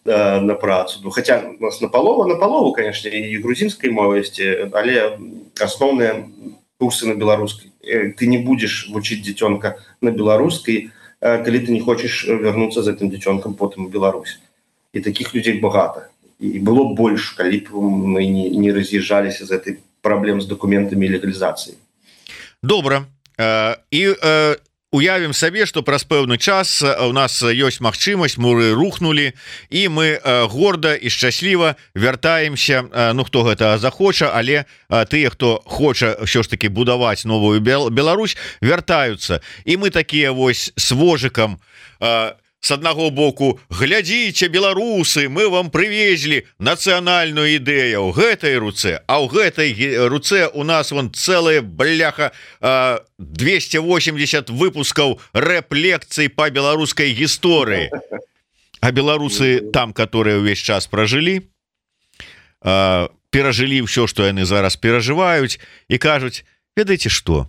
на працу. Хаця у нас напалову, конечно, і грузінскай мовы ёсць, але асноўныя курсы на беларускай. Ты не будешь вучыць дзіцёнка на беларускай, калі ты не хочаш вярнуцца з гэтым дзіцёнкам потым у Беларусь. І такіх людзей багата. І было больш, калі б мы не раз'язджаліся з гэтай праблем з дакументамі і легалізацыяй. Добра. І уявім сабе, што праз пэўны час у нас ёсць магчымасць, муры рухнулі, і мы горда і шчасліва вяртаемся, хто гэта захоча, але тыя, хто хоча ўсё ж таки будаваць новую Беларусь, вяртаюцца. І мы такія вось с вожыкам с аднаго боку: глядзіце, беларусы, мы вам прывезлі нацыянальную ідэю ў гэтай руцэ, а ў гэтай руцэ у нас вон цэлая бляха 280 выпускаў рэп-лекцый па беларускай гісторыі. А беларусы там, которые ўвесь час пражылі, перажылі ўсё, што яны зараз перажываюць, і кажуць: ведаеце што,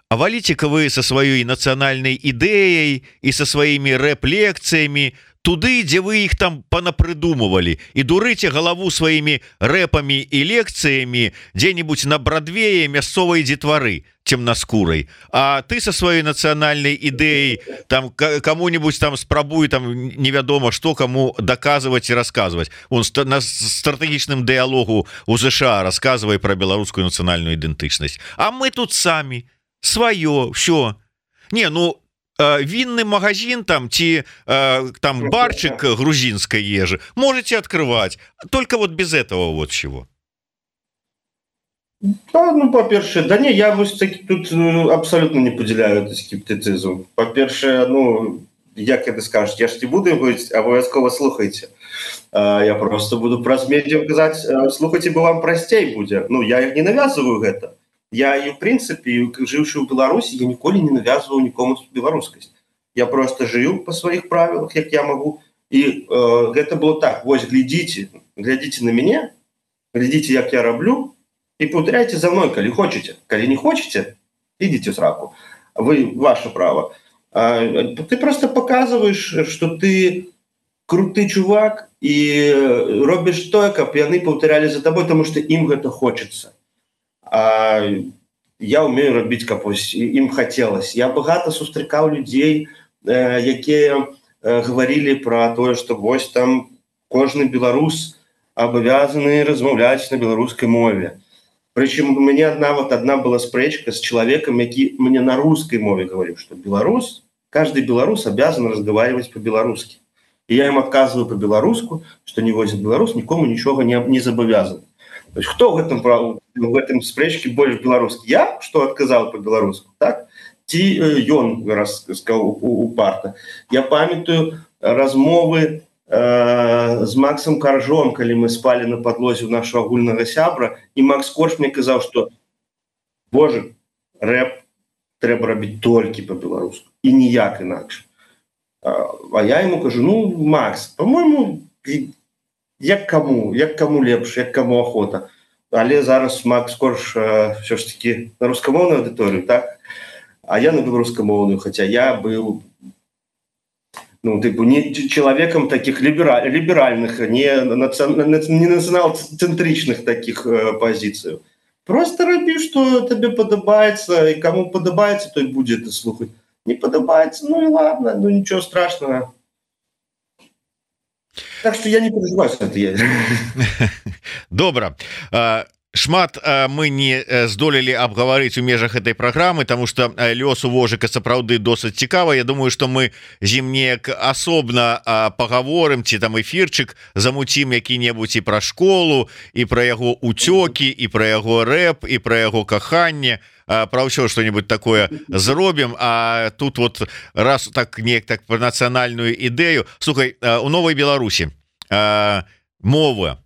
а валіце-ка вы со сваёй нацыянальнай ідэяй і со сваімі рэп-лекцыямі туды, дзе вы іх там панапрыдумывалі, і дурыце галаву сваімі рэпамі і лекцыямі дзе-нибудь на Брадвее мясцовай дзетвары цемнаскурай. А ты со сваёй нацыянальнай ідэяй там кому-нибудь там спрабуй там невядома што каму даказваць і расказваць. Он на стратэгічным дыялогу у ЗША расказвае пра беларускую нацыянальную ідэнтычнасць. А мы тут самі сваё, все. Винный магазин там, там барчик грузинской ежи можете открывать, только вот без этого вот чего. По-перше, я тут абсолютно не поділяю этот скептицизм. По-перше, як это скажете, я ж не буду говорить, обов'язково слухайте. Я просто буду праз медіа казаць, слухайте, бо вам прасцей будзе. Я не навязываю гэта. я и в принципе, живший в Беларуси, я николи не навязывал никому белорусскость. Я просто жил по своих правилах, как я могу. И это было так: вот глядите на меня, глядите, как я роблю, и повторяйте за мной, коли хочете. Коли не хочете, идите в сраку. Ваше право. Ты просто показываешь, что ты круты чувак, і робіш тое, каб яны паўтарялі за табой, тому што ім гэта хочется. А я умею рабіць, каб ім хацелось. Я багата сустракаў людзей, якія говорили про тое, што вось там кожны беларус абавязаны размаўляць на беларускай мове. Прычым у мяне одна была спрэчка з чалавекам, які мне на русской мове говорил, что каждый белорус обязан разговаривать по-белорусски. И я им отказываю по-белорусски, что не возит белорус, никому ничего не забавязан. То есть кто в этом спрэчке больше белорусский? Я, что отказал по-белорусски, так? Ці ён сказал упарта. Я памятаю размовы з Максом Каржом, калі мы спали на подлозе у нашего агульнага сябра, и Макс Корж мне казаў, что боже, рэп трэба рабіць толькі по-беларуску и ніяк інакш. А я ему кажу: ну, Макс, по-моему, як кому лепш, як кому охота. Але зараз Макс Корж все ж таки на рускамоўную аўдыторыю, так? А я на беларускамоўную, хотя я был не человеком таких либеральных, не национал-центричных таких позиций. Просто роби, что тебе подобается, и кому подобается, то и будет это слухать. Не подобается, ну и ладно, ну ничего страшного. Так что я не переживаю, что это я. Добра. Шмат мы не здолелі абгаварыць у межах этой праграмы, тому что лёс у Вожыка сапраўды досыць цікава. Я думаю, что мы з ім неяк асобна пагаворым, ці там эфірчык замуцім які-небудзь і пра школу, і пра яго уцёкі, і пра яго рэп, і пра яго каханне, пра ўсё што-нибудь такое зробім. А тут вот раз так неяк так пра нацыянальную ідэю. Слухай, у Новай Беларусі мова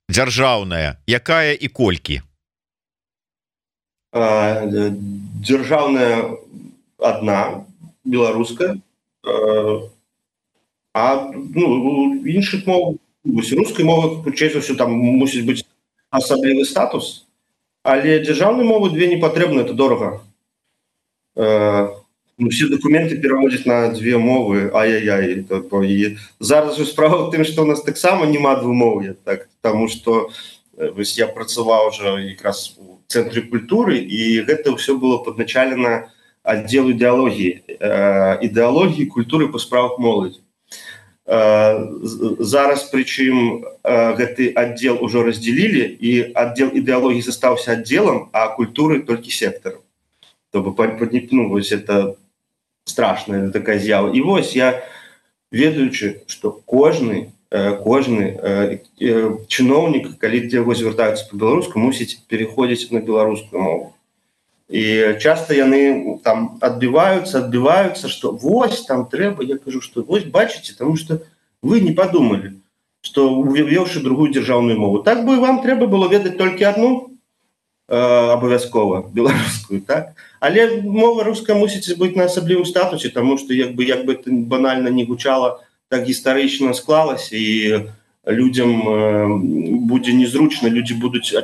дзяржаўная, якая і колькі? Дзяржаўная одна, беларуская, а іншых мов, рускай мовы, хутчэй за ўсё, там мусіць быць асаблівы статус, але дзяржаўнай мовы две не патрэбна, это дорага. Все документы переводят на две мовы, ай-яй-яй. И зараз же справа в тым, што у нас таксама няма двумоўя, так, потому что я працаваў уже якраз у цэнтры культуры, і гэта ўсё было падначалена аддзелу ідэалогіі культуры па справах моладзі. Зараз прычым гэты аддзел ужо раздзялілі, і аддзел ідэалогіі застаўся аддзелам, а культуры толькі сектарам. То вось это страшная такая з'ява. І вось я, ведаючы, што кожны чыноўнік, калі яго звяртаюцца па-беларуску, мусіць пераходзіць на беларускую мову. І часта яны там адбіваюцца, што вось там трэба, я кажу, што вось бачыце, таму што вы не падумалі, што увёўшы другую дзяржаўную мову. Так бы вам трэба было ведаць толькі одну, абавязкова беларускую, так? Але мова руская мусіць быць на асаблівым статусе, таму што як бы это банальна не гучала, так гістарычна склалася, і людзям будзе незручна, людзі могуць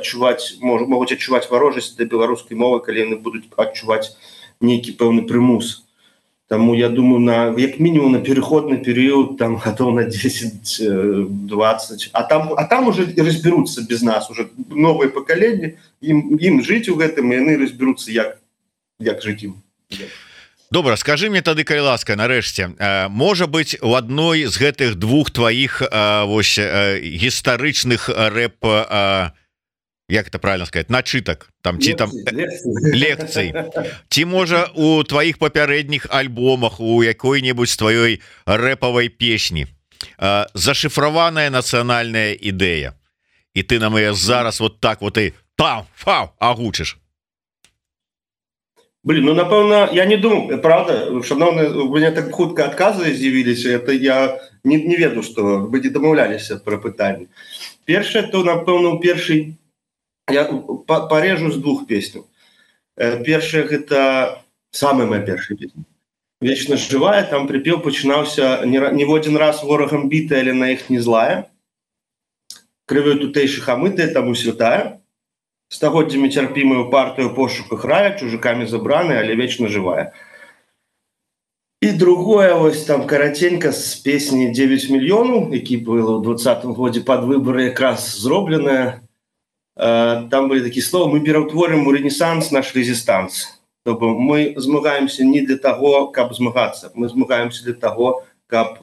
адчуваць варожасць да беларускай мовы, калі яны будуць адчуваць нейкі пэўны прымус. Таму я думаю, як мінімум на пераходны перыяд, там гадоў на 10-20, а там уже разберуцца без нас, уже новае пакаленне, ім жыць у гэтым, і яны разберуцца, як жыць ім. Добра, скажи мне тады, калі ласка, нарэшце, можа быць, у адной з гэтых двух тваіх гістарычных рэп, як это правильно сказать, начытак, там ці там лекцый, ці можа у тваіх папярэдніх альбомах, у якой-небудзь тваёй рэпавай песні зашифраваная нацыянальная ідэя, і ты нам яе зараз вот так вот і агучыш? Напэўна, я не думаю, правда, шановны, у меня так хутка адказы з'явіліся, это я не ведаю, што вы не дамаўляліся пра пытанне. Першае, то, напэўна, у першай я порежу з двух песню. Першая гэта самая моя першая песня. Вечна жывая, там припеў пачынаўся не в один раз ворагам бітая, але на іх не злая. Крывёй тутэйшых амытая, таму святая. Стагоддзямі цярпімую партыю пошуках рая, чужакамі забраная, але вечна жывая. І другое, вось там караценька з песні 9 мільёнаў, які было ў 20-м годзе пад выбары якраз зробленая. Там былі такія словы: мы пераўтворым у рэнесанс наш резістанс. Тобто мы змагаемся не для того, каб змагацца, мы змагаемся для того, каб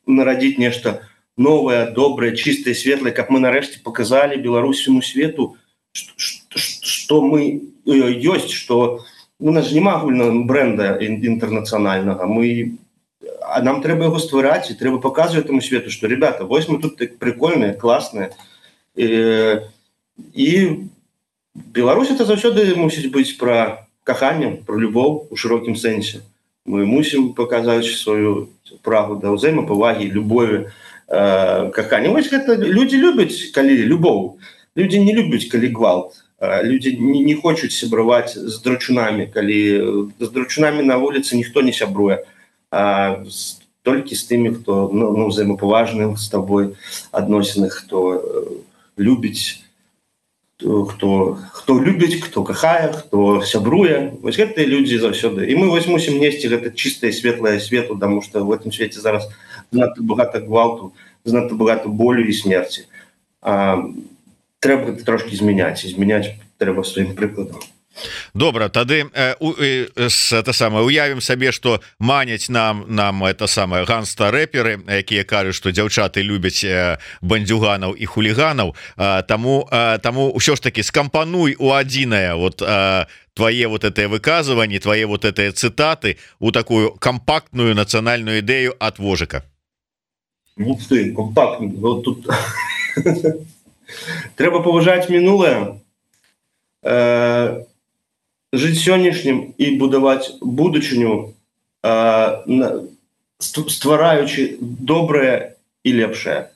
нарадзіць нешта новае, добрае, чыстае, светлае, каб мы нарэшце показалі беларусаму свету, што мы ёсць, што у нас няма агульнага бренда інтэрнацыянальнага, а нам трэба яго ствараць, і трэба паказваць таму свету, што, ребята, вось мы тут прикольныя, класныя. І Беларусь это заўсёды мусіць быць пра каханне, пра любоў у шырокім сэнсе. Мы мусім паказаць сваю прагу да ўзаемапавагі, любові, кахання. Вось гэта людзі любяць, калі любоў. Людзі не любяць, калі гвалт. Людзі не хочуць сябраваць з драчунамі, калі з драчунамі на вуліцы ніхто не сябруе, толькі з тымі, хто ўзаемапаважны з табой адносіны, хто любіць, хто любіць, хто кахае, хто сябруе. Вось гэтыя людзі заўсёды. І мы вось мусім несці гэта чыстае, светлае свету, таму што в гэтым свеце зараз занадта багата гвалту, занадта багата болю і смерці. Трэба трошки змяняць, і змяняць трэба сваім прыкладам. Добра, тады уявім сабе, што маняць нам это самае ганста-рэперы, якія кажуць, што дзяўчаты любяць бандзюганаў і хуліганаў, таму ўсё ж таки скампануй у адзінае вот твае вот это выказыванні, твае вот это цытаты у такую кампактную нацыянальную ідэю ад Вожыка. Ну ты, кампактны, вот тут трэба паважаць мінулае, жыць сённяшнім і будаваць будучыню, ствараючы добрае і лепшае.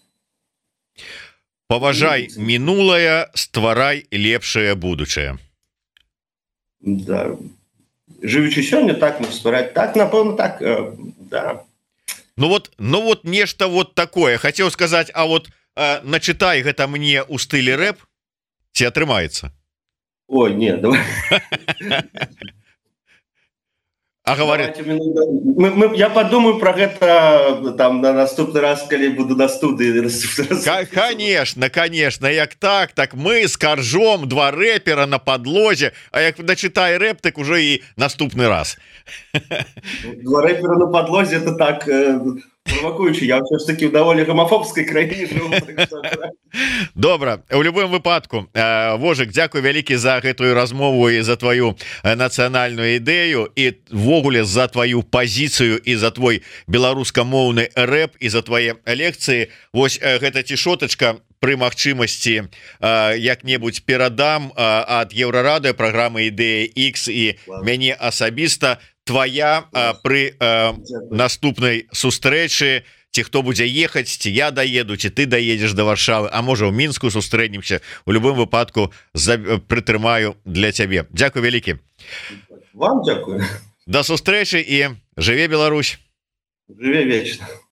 Паважай мінулае, стварай лепшае будучае. Да. Жывучы сёння, так ствараць, так, напэўна, так, да. Ну вот нешта вот такое. Хацеў сказаць, а вот начытай гэта мне ў стылі рэп, ці атрымаецца? Ой, не, давай. А говорит... Я подумаю про гэта там на наступны раз, калі буду на студыі. Конечно, як так мы с Каржом, два рэпера на подлозе, а як начитай рэп, так уже и наступны раз. Два рэпера на подлозе, это так... Провокуючи, я все ж таки в доволі гомофобській країні живу. Добра, у любым выпадку, Вожык, дзякуй вялікі за гэтую размову і за твою нацыянальную ідэю і ввогуле за твою пазіцыю і за твой беларускамоўны рэп і за твае лекцыі. Вось гэта цішотачка пры магчымасці як-небудзь перадам ад Еўрарадыё праграмы Ідэя X і мяне асабіста твоя пры наступнай сустрэчы, ці хто будзе ехаць, ці я даеду, ці ты даедзеш да Варшавы, а можа ў Мінску сустрэнемся. У любым выпадку прытрымаю для цябе. Дзякуй вялікі. Вам дзякую. Да сустрэчы і жыве Беларусь. Жыве вечна.